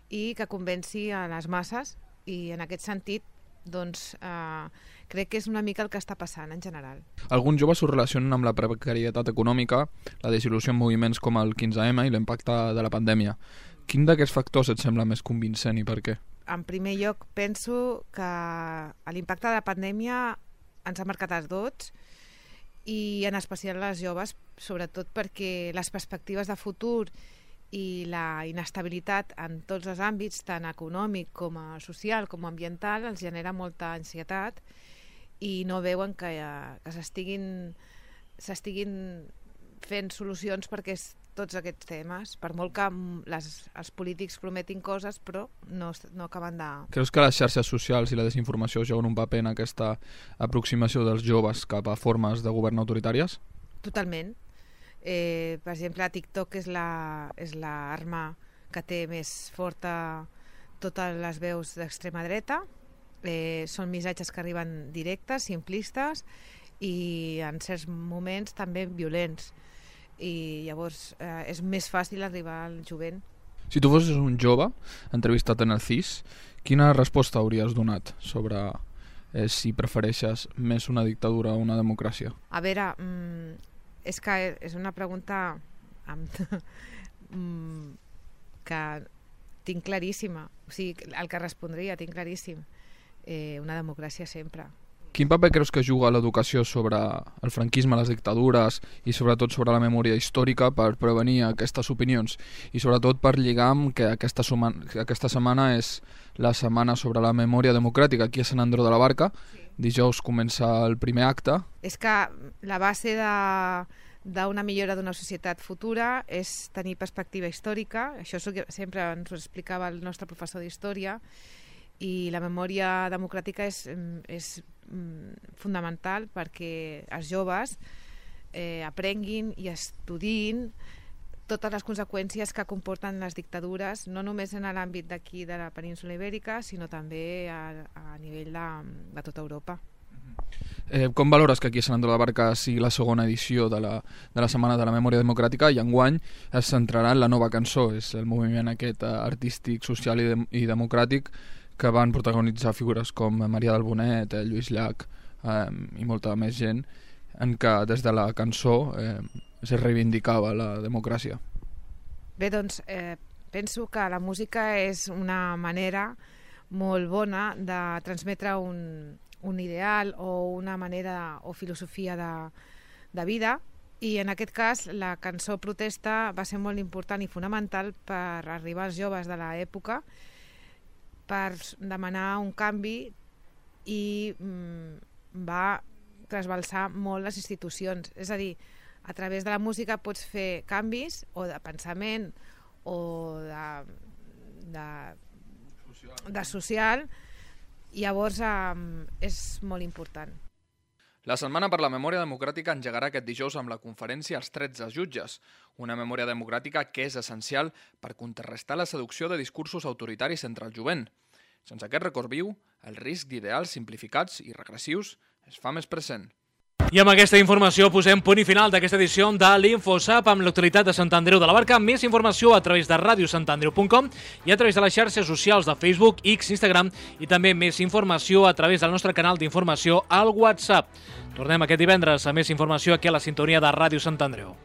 Speaker 9: i que convenci a les masses. I en aquest sentit doncs, crec que és una mica el que està passant en general.
Speaker 7: Alguns joves ho relacionen amb la precarietat econòmica, la desil·lusió en moviments com el 15M i l'impacte de la pandèmia. Quin d'aquests factors et sembla més convincent i per què?
Speaker 9: En primer lloc, penso que l'impacte de la pandèmia ens ha marcat a tots i en especial les joves, sobretot perquè les perspectives de futur i la inestabilitat en tots els àmbits, tant econòmic com social com ambiental, els genera molta ansietat i no veuen que s'estiguin fent solucions perquè tots aquests temes, per molt que els polítics prometin coses, però no acaben de...
Speaker 7: Creus que les xarxes socials i la desinformació juguen un paper en aquesta aproximació dels joves cap a formes de govern autoritàries?
Speaker 9: Totalment. Per exemple, TikTok és l'arma que té més forta totes les veus d'extrema dreta. Són missatges que arriben directes, simplistes i en certs moments també violents. I llavors és més fàcil arribar al jovent.
Speaker 7: Si tu fossis un jove entrevistat en el CIS, quina resposta hauries donat sobre si prefereixes més una dictadura o una democràcia?
Speaker 9: A veure, és que és una pregunta que tinc claríssima. O sigui, el que respondria tinc claríssim. Una democràcia sempre.
Speaker 7: Quin paper creus que juga l'educació sobre el franquisme, les dictadures i sobretot sobre la memòria històrica per prevenir aquestes opinions i sobretot per lligar amb que aquesta setmana és la setmana sobre la memòria democràtica aquí a Sant Andreu de la Barca. Dijous comença el primer acte.
Speaker 9: És que la base d'una millora d'una societat futura és tenir perspectiva històrica. Això sempre ens ho explicava el nostre professor d'història. I la memòria democràtica és fonamental perquè els joves aprenguin i estudiïn totes les conseqüències que comporten les dictadures, no només en l'àmbit d'aquí de la península Ibèrica, sinó també a nivell de tota Europa.
Speaker 7: Com valores que aquí a Sant Andreu de la Barca sigui la segona edició de la Setmana de la Memòria Democràtica i enguany es centrarà en la nova cançó, és el moviment aquest artístic, social i democràtic que van protagonitzar figures com Maria del Bonet, Lluís Llach i molta més gent, en què des de la cançó es reivindicava la democràcia.
Speaker 9: Bé, doncs penso que la música és una manera molt bona de transmetre un ideal o una manera o filosofia de vida, i en aquest cas la cançó protesta va ser molt important i fonamental per arribar als joves de l'època, per demanar un canvi i va trasbalsar molt les institucions. És a dir, a través de la música pots fer canvis o de pensament o de social, i llavors és molt important.
Speaker 7: La Setmana per la Memòria Democràtica engegarà aquest dijous amb la conferència als 13 jutges, una memòria democràtica que és essencial per contrarrestar la seducció de discursos autoritaris entre el jovent. Sense aquest record viu, el risc d'ideals simplificats i regressius es fa més present.
Speaker 1: I amb aquesta informació posem punt i final d'aquesta edició de l'InfoSap amb l'actualitat de Sant Andreu de la Barca. Més informació a través de radiosantandreu.com i a través de les xarxes socials de Facebook, X, Instagram i també més informació a través del nostre canal d'informació al WhatsApp. Tornem aquest divendres a més informació aquí a la sintonia de Ràdio Sant Andreu.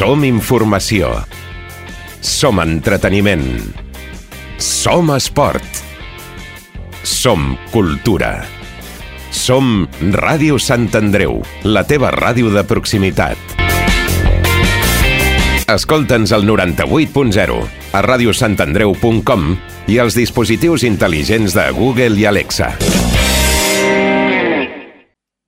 Speaker 6: Som informació. Som entreteniment. Som esport. Som cultura. Som Ràdio Sant Andreu, la teva ràdio de proximitat. Escolta'ns al 98.0, a radiosantandreu.com i als dispositius intel·ligents de Google i Alexa.